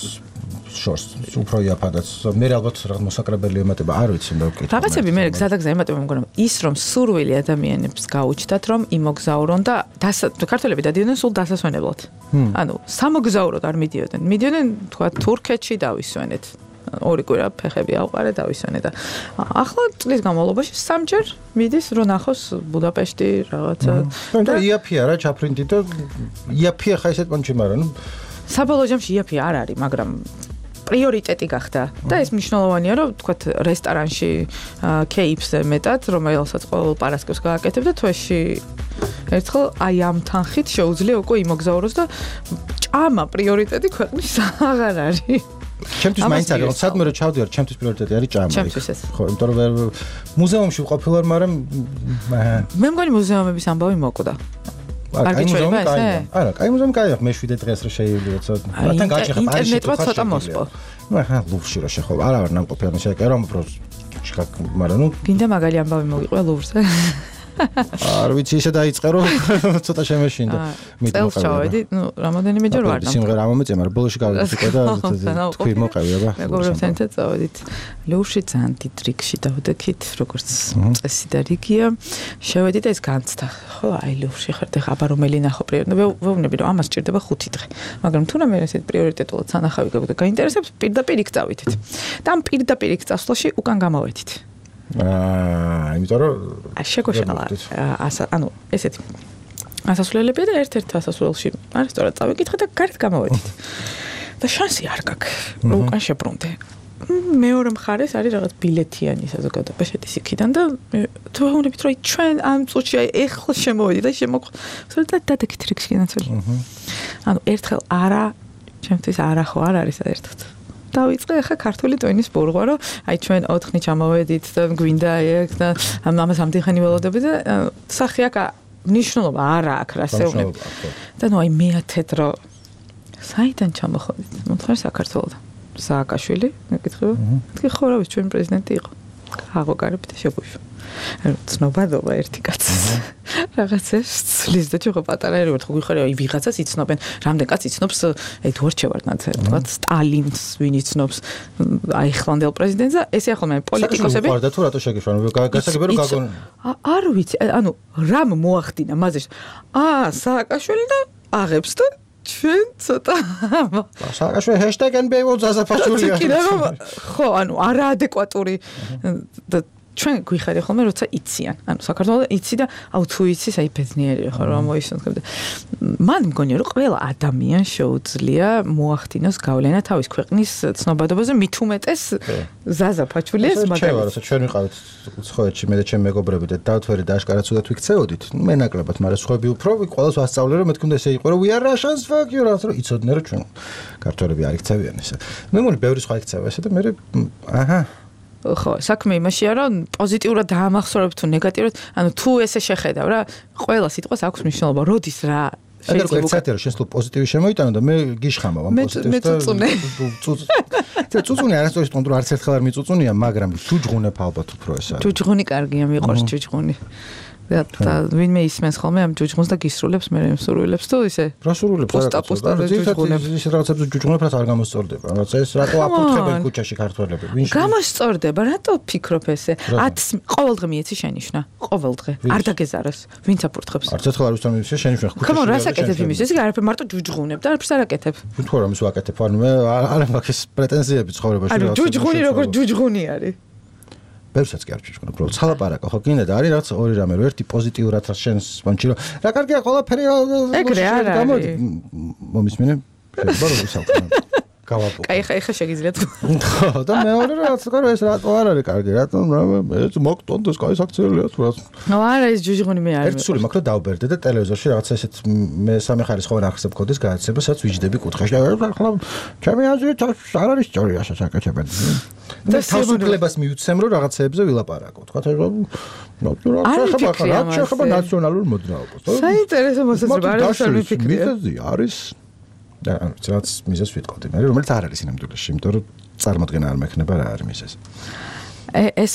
შორს უფრო იაფადაც მე ალბათ რაღაც მოსაკრებელი ემატება არ ვიცი მე ვკითხე რაღაცები მე გზადაგზა ემატება მგონი ის რომ სურვილი ადამიანებს გაუჩნდათ რომ იმოგზავრონ და ქართველები დადიოდნენ სულ დასასვენებლად ანუ სამოგზავროდ არ მიდიოდნენ თქვა თურქეთში დავისვენეთ ორი კვირა ფეხები ავყარე დავისვენე და ახლა წლის განმავლობაში სამჯერ მიდის რომ ნახოს ბუდაპეშტი რაღაცა და იაფია რა ჩაფრინდი და იაფია ხა ესეთ პონჩი მაგრამ ნუ საბოლოო ჯამში იაფია არ არის მაგრამ პრიორიტეტი გახდა და ეს მნიშვნელოვანია რომ თქვათ რესტორანში кейფზე მეტად რომელსაც ყოველ პარასკევს გააკეთებ და თვეში ერთხელ აი ამ თანხით შეუძლია უკვე იმოგზაუროს და ჭამა პრიორიტეტი ქვეყნის აღარ არის ჩემთვის მაინც არის სადმე რომ ჩავდივარ ჩემთვის პრიორიტეტი არის ჭამა ხო იმიტომ რომ მუზეუმში ვყოფილვარ მაგრამ მე მგონი მუზეუმების ამბავი მოკვდა არ გიჩვენება ესე? არა, კაი მუზეუმი კაია, მე 7 დღეს რო შეიძლება მათთან გაჭიხა პარიზში ინტერნეტმა ცოტა მოსპო. ნუ ახლა ლუვრში რო შეხო, არა ვარ ნამყოფი ანუ შეეკერო უფრო მაგრამ ნუ გინდა მაგალი ამბავი მოგიყვე ლუვრზე? არ ვიცი ისე დაიწყე რომ ცოტა შემეშინდა. წელს ჩავედი, ნუ რამოდენიმეჯერ ვარ ნამყოფი. სიმღერა ამომეწია, მაგრამ ბოლოში გავიწიკე და თქვი მოყევი აბა. მეგობრებთან ერთად წავედით. ლუვრში ძალიან დიდ რიგში დავდექით, როგორც წესი და რიგია. შევედი და ეს განცდა. ხო, აი ლუვრში ხართ ახლა აბა რომელი ნახო პრიორიტეტი. ვეუბნები რომ ამას ჭირდება 5 დღე. მაგრამ თუ რამე ესეთ პრიორიტეტულად სანახავი გაგვდა გაინტერესებს, პირდაპირ იქ წავითით. და ამ პირდაპირ იქ წასვლაში უკან გამოვედით. იმიტომ რომ შეგოშალა ანუ ესეთი ასასვლელები და ერთ-ერთ ასასვლელში რესტორან წავიკითხე და გარეთ გამოვედით და შანსი არ გაქვს რომ უკან შებრუნდე მეორე მხარეს არის რაღაც ბილეთიანი საზოგადოება შედის იქიდან და თუ ვეუბნებით რომ ჩვენ ამ წუთში აი ეხლა შემოვედი და შემოყვე და დადექით რიგში განაცვლი ანუ ერთხელ არა ჩემთვის არა ხო არ არის საერთოდ დავიწყე ახლა ქართული ტვინის ბურღვა რომ აი ჩვენ 4 ხნით ჩამოვედით და გვინდა ეგ და ამას ამდენ ხანი ველოდები და სახი აქ მნიშვნელობა არ აქვს რასეულებ. და ნუ აი მეათეთ რომ საიდან ჩამოხოდით? მოთხარ საქართველოსთან. სააკაშვილი, მეკითხება. თქვი ხო რა ვიცი ჩვენ პრეზიდენტი იყო. აღოგარებით შეგვიშვა. ცნობადობა ერთი კაცის. რაღაცას ცლის და ჩვენ პატარა ერევართ ხო გიხარი აი ვიღაცას იცნობენ. რამდენ კაც იცნობს ედუარდ შევარდნაძე, თქვათ სტალინს ვინ იცნობს აი ახლანდელ პრეზიდენტს და ესე ახლა პოლიტიკოსები. და თუ რატო შეგიშვან? გასაგები რომ გაგონ. არ ვიცი, ანუ რამ მოახდინა მაზეშ. სააკაშვილი და აღებს და ჩვენ ცოტა სააკაშვილი #NBO ზაზაფაშვილია. ხო, ანუ არაადეკვატური და ჩვენ გვიხარია ხოლმე როცა იციან. ანუ საქართველოს იცი და აუ თუ იცი, აი ბედნიერია ხო რა მოისუნთქებდა. მან მგონია რომ ყველა ადამიანს შეუძლია მოახდინოს გავლენა თავის ქვეყნის ცნობადობაზე, მით უმეტეს ზაზაფაჩულიას მაგალითად. ჩვენ ვიყავით ცხოეთში მე და ჩემი მეგობრები და დავთვერი და აშკარად ცუდად ვიქცეოდით. მე ნაკლებად, მაგრამ სხვები უფრო ყველას ვასწავლე რომ მეთქონდა ესე იყო რომ we are Russians fuck you რა რომ იცოდნენ რომ ჩვენ ქართველები არ იქცევიან ესე. მე მგონი ბევრი სხვა იქცევა ესე და მე აჰა ხო, საქმე იმაშია, რომ პოზიტიურად დაამახსოვრებ თუ ნეგატიურად, ანუ თუ ესე შეხედავ რა, ყველა სიტყვას აქვს მნიშვნელობა, როდის რა შეიძლება ერთ-ერთი რომ შენ სულ პოზიტივი შემოიტანო და მე გიშხამავ ამ პოზიტივს და წუწუნე არასდროს თქონდა რომ არც ერთხელ არ მიწუწუნია, მაგრამ ჯუჯღუნებ ალბათ უფრო ეს არის. ჯუჯღუნი კარგია, მიყვარს ჯუჯღუნი. და ვინმე ისმენს ხოლმე ამ ჯუჯღუნს და გისრულებს მე მსურვილებს თუ ისე რა სურვილებს პოსტაპოსტა ჯუჯღუნებს ის რაღაცებს ჯუჯღუნებს რაც არ გამოსწორდება რაც ეს რატო აფუთხებენ ქუჩაში ქართველები ვინ გამოსწორდება რატო ფიქრობ ესე 10 ყოველდღე მიეცი შენიშნა ყოველდღე არ დაგეზაროს ვინც აფურთხებს არც ერთხელ არ უსთან მიეცი შენიშნა ქუჩაში ხომ რა საკეთებ იმის ეს არაფერ მარტო ჯუჯღუნებ და არაფერს არ აკეთებ თუ რა მის ვაკეთებ ანუ მე არ მაქვს პრეტენზიები ცხოვრებაში რა ჯუჯღუნი როგორ ჯუჯღუნი არის ბევრსაც კი არ ვჭირჭქნა, უბრალოდ ცალაპარაკო ხო გინდა და არის რაღაც ორი რამე, რომ ერთი პოზიტიურად რაც შენს პონჩი რომ რა კარგია ყველაფერი ეგრე არ არის მომისმინე შეიძლება რომ ისავხო გავაპო კაი ხა შეგიძლიათ ხო და მეორე რაც კარგი ეს რატო არ არის კარგი რატომ ეს მოგტონდეს კაი საქციელია თუ რაც ნუ არა ეს ჯუჯღუნი მე არ ერთი სული მაქვს და დავბერდე და ტელევიზორში რაღაც ესეთ მე სამი ხარისხოვან ახსებ კოდის გადაცემა სადაც ვიჯდები კუთხეში და ახლა ჩემი აზრით არ არის სწორი ასე საკეთებენ და თავისუფლებას მიუცემ რომ რაღაცეებზე ვილაპარაკო თქვა რა შეხება ნაციონალურ მოძრაობას საინტერესო მოსაზრება არის არ მიფიქრია არის და რაც მიზეს ვიტყოდი მე რომელიც არ არის ინამდვილეში იმიტომ რომ წარმოდგენა არ მექნება რა არის მიზეს ეს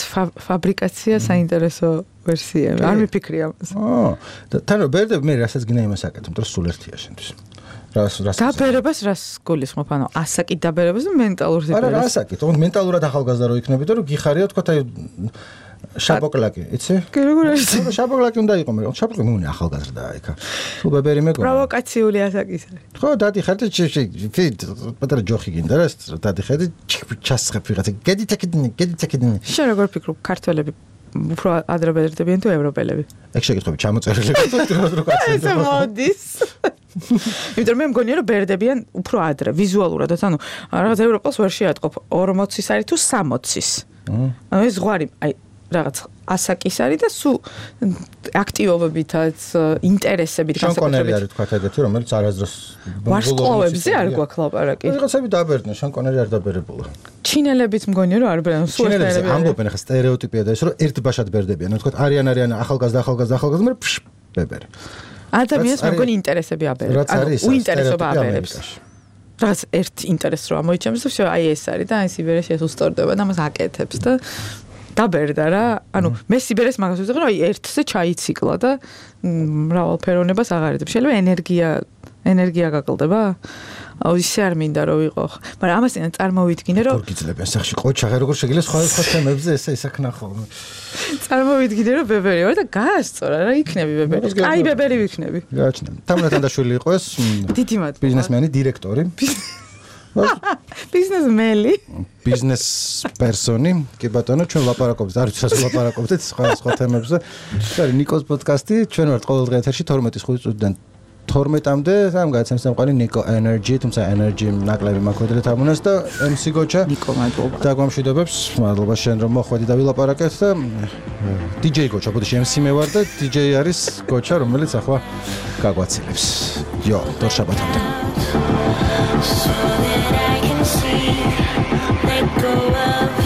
ფაბრიკაცია საინტერესო ვერსია არ მიფიქრია და თან ბერდები მე რასაც გინდა იმას აკეთებ რომ სულ ერთია შენთვის რას დაბერებას რას გულისხმობ ანუ ასაკით დაბერებას და მენტალურ ზეპერებას არა ასაკით თქო მენტალურად ახალგაზრდა რო იქნები და რომ გიხარია თქო აი შაბოკლაკი, იცი? კი როგორ არის? შაბოკლაკი უნდა იყო მე. შაბოკლაკი მუნი ახალგაზრდაა იქა. თუ ბებერი მეგონა. პროვოკაციული ასაკის არის. ხო, დადიხარ და პატარა ჯოხი გინდა რა, დადიხარ და ჩასხებ ვიღაცა. გედიტაკიდნი. შენ როგორ ფიქრობ, ქართველები უფრო ადრე ბერდებიან თუ ევროპელები? ეგ შეგეთქვი, ჩამოწერილი რო კაცი. ეს მოდის. იმიტომ მე მგონია რომ ბერდებიან უფრო ადრე, ვიზუალურადაც, ანუ რაღაც ევროპელს ვერ შეატყობ 40-ის არის თუ 60-ის. ანუ ეს ზღვარი, აი რაღაც ასაკის არის და სულ აქტივობებითაც ინტერესებით განსაკუთრებით არის თქვა ეგეთი რომელიც არასდროს ვარსკვლავებზე არ გვაქვს ლაპარაკი რაღაცები დაბერდნენ შანკონერი არ დაბერებულა ჩინელებიც მგონია რომ არ ბერდნენ სულ ჩინელები ამბობენ ახლა სტერეოტიპია და ეს რომ ერთ ბაშად ბერდებიან თქვა არიან ახალგაზრდა მე ბებერი ადამიანს მგონი ინტერესები აბერებს ანუ უინტერესობა აბერებს რაც ერთ ინტერესს რო ამოიჩემს და აი ეს არის და აი სიბერეში ეს უსწორდება და მას აკეთებს და დაბერდა რა ანუ მე სიბერეს მაგას ვიზღე რომ აი ერთზე ჩაიციკლა და მრავალფეროვნებას აღარებს შეიძლება ენერგია გაკლდება აუ ისე არ მინდა რომ ვიყო მაგრამ ამასთან წარმოვიდგინე რომ გიძლებიან სახში ყოჩა როგორ შეგიძლია სხვა თემებზე ესე ისაქნა ხოლმე წარმოვიდგინე რომ ბებერი ვარ და გაასწორა რა იქნები ბებერი აი ბებერი ვიქნები გააჩნია თამრათანდაშვილი იყო ეს დიდი მადლობა ბიზნესმენი დირექტორი ბიზნესმენი ბიზნეს პერსონი კი ბატონო ჩვენ ლაპარაკობთ არ ვიცი რას ლაპარაკობთ სხვა თემებზე ეს არის ნიკოს პოდკასტი ჩვენ ვართ ყოველდღე ეთერში 12:05 წუთიდან 12-მდე ამ გადაცემას ამყარი ნიკო ენერჯი თუმცა ენერჯი ნაკლები მაქვს თამუნას და MC გოჩა ნიკო მადლობა დაგვამშვიდობებს მადლობა შენ რომ მოხვედი და ვილაპარაკეთ და DJ გოჩა ბოდიში MC მე ვარ და DJ არის გოჩა რომელიც ახლა გაგვაცილებს იო დორშაბათამდე So that I can see, let go of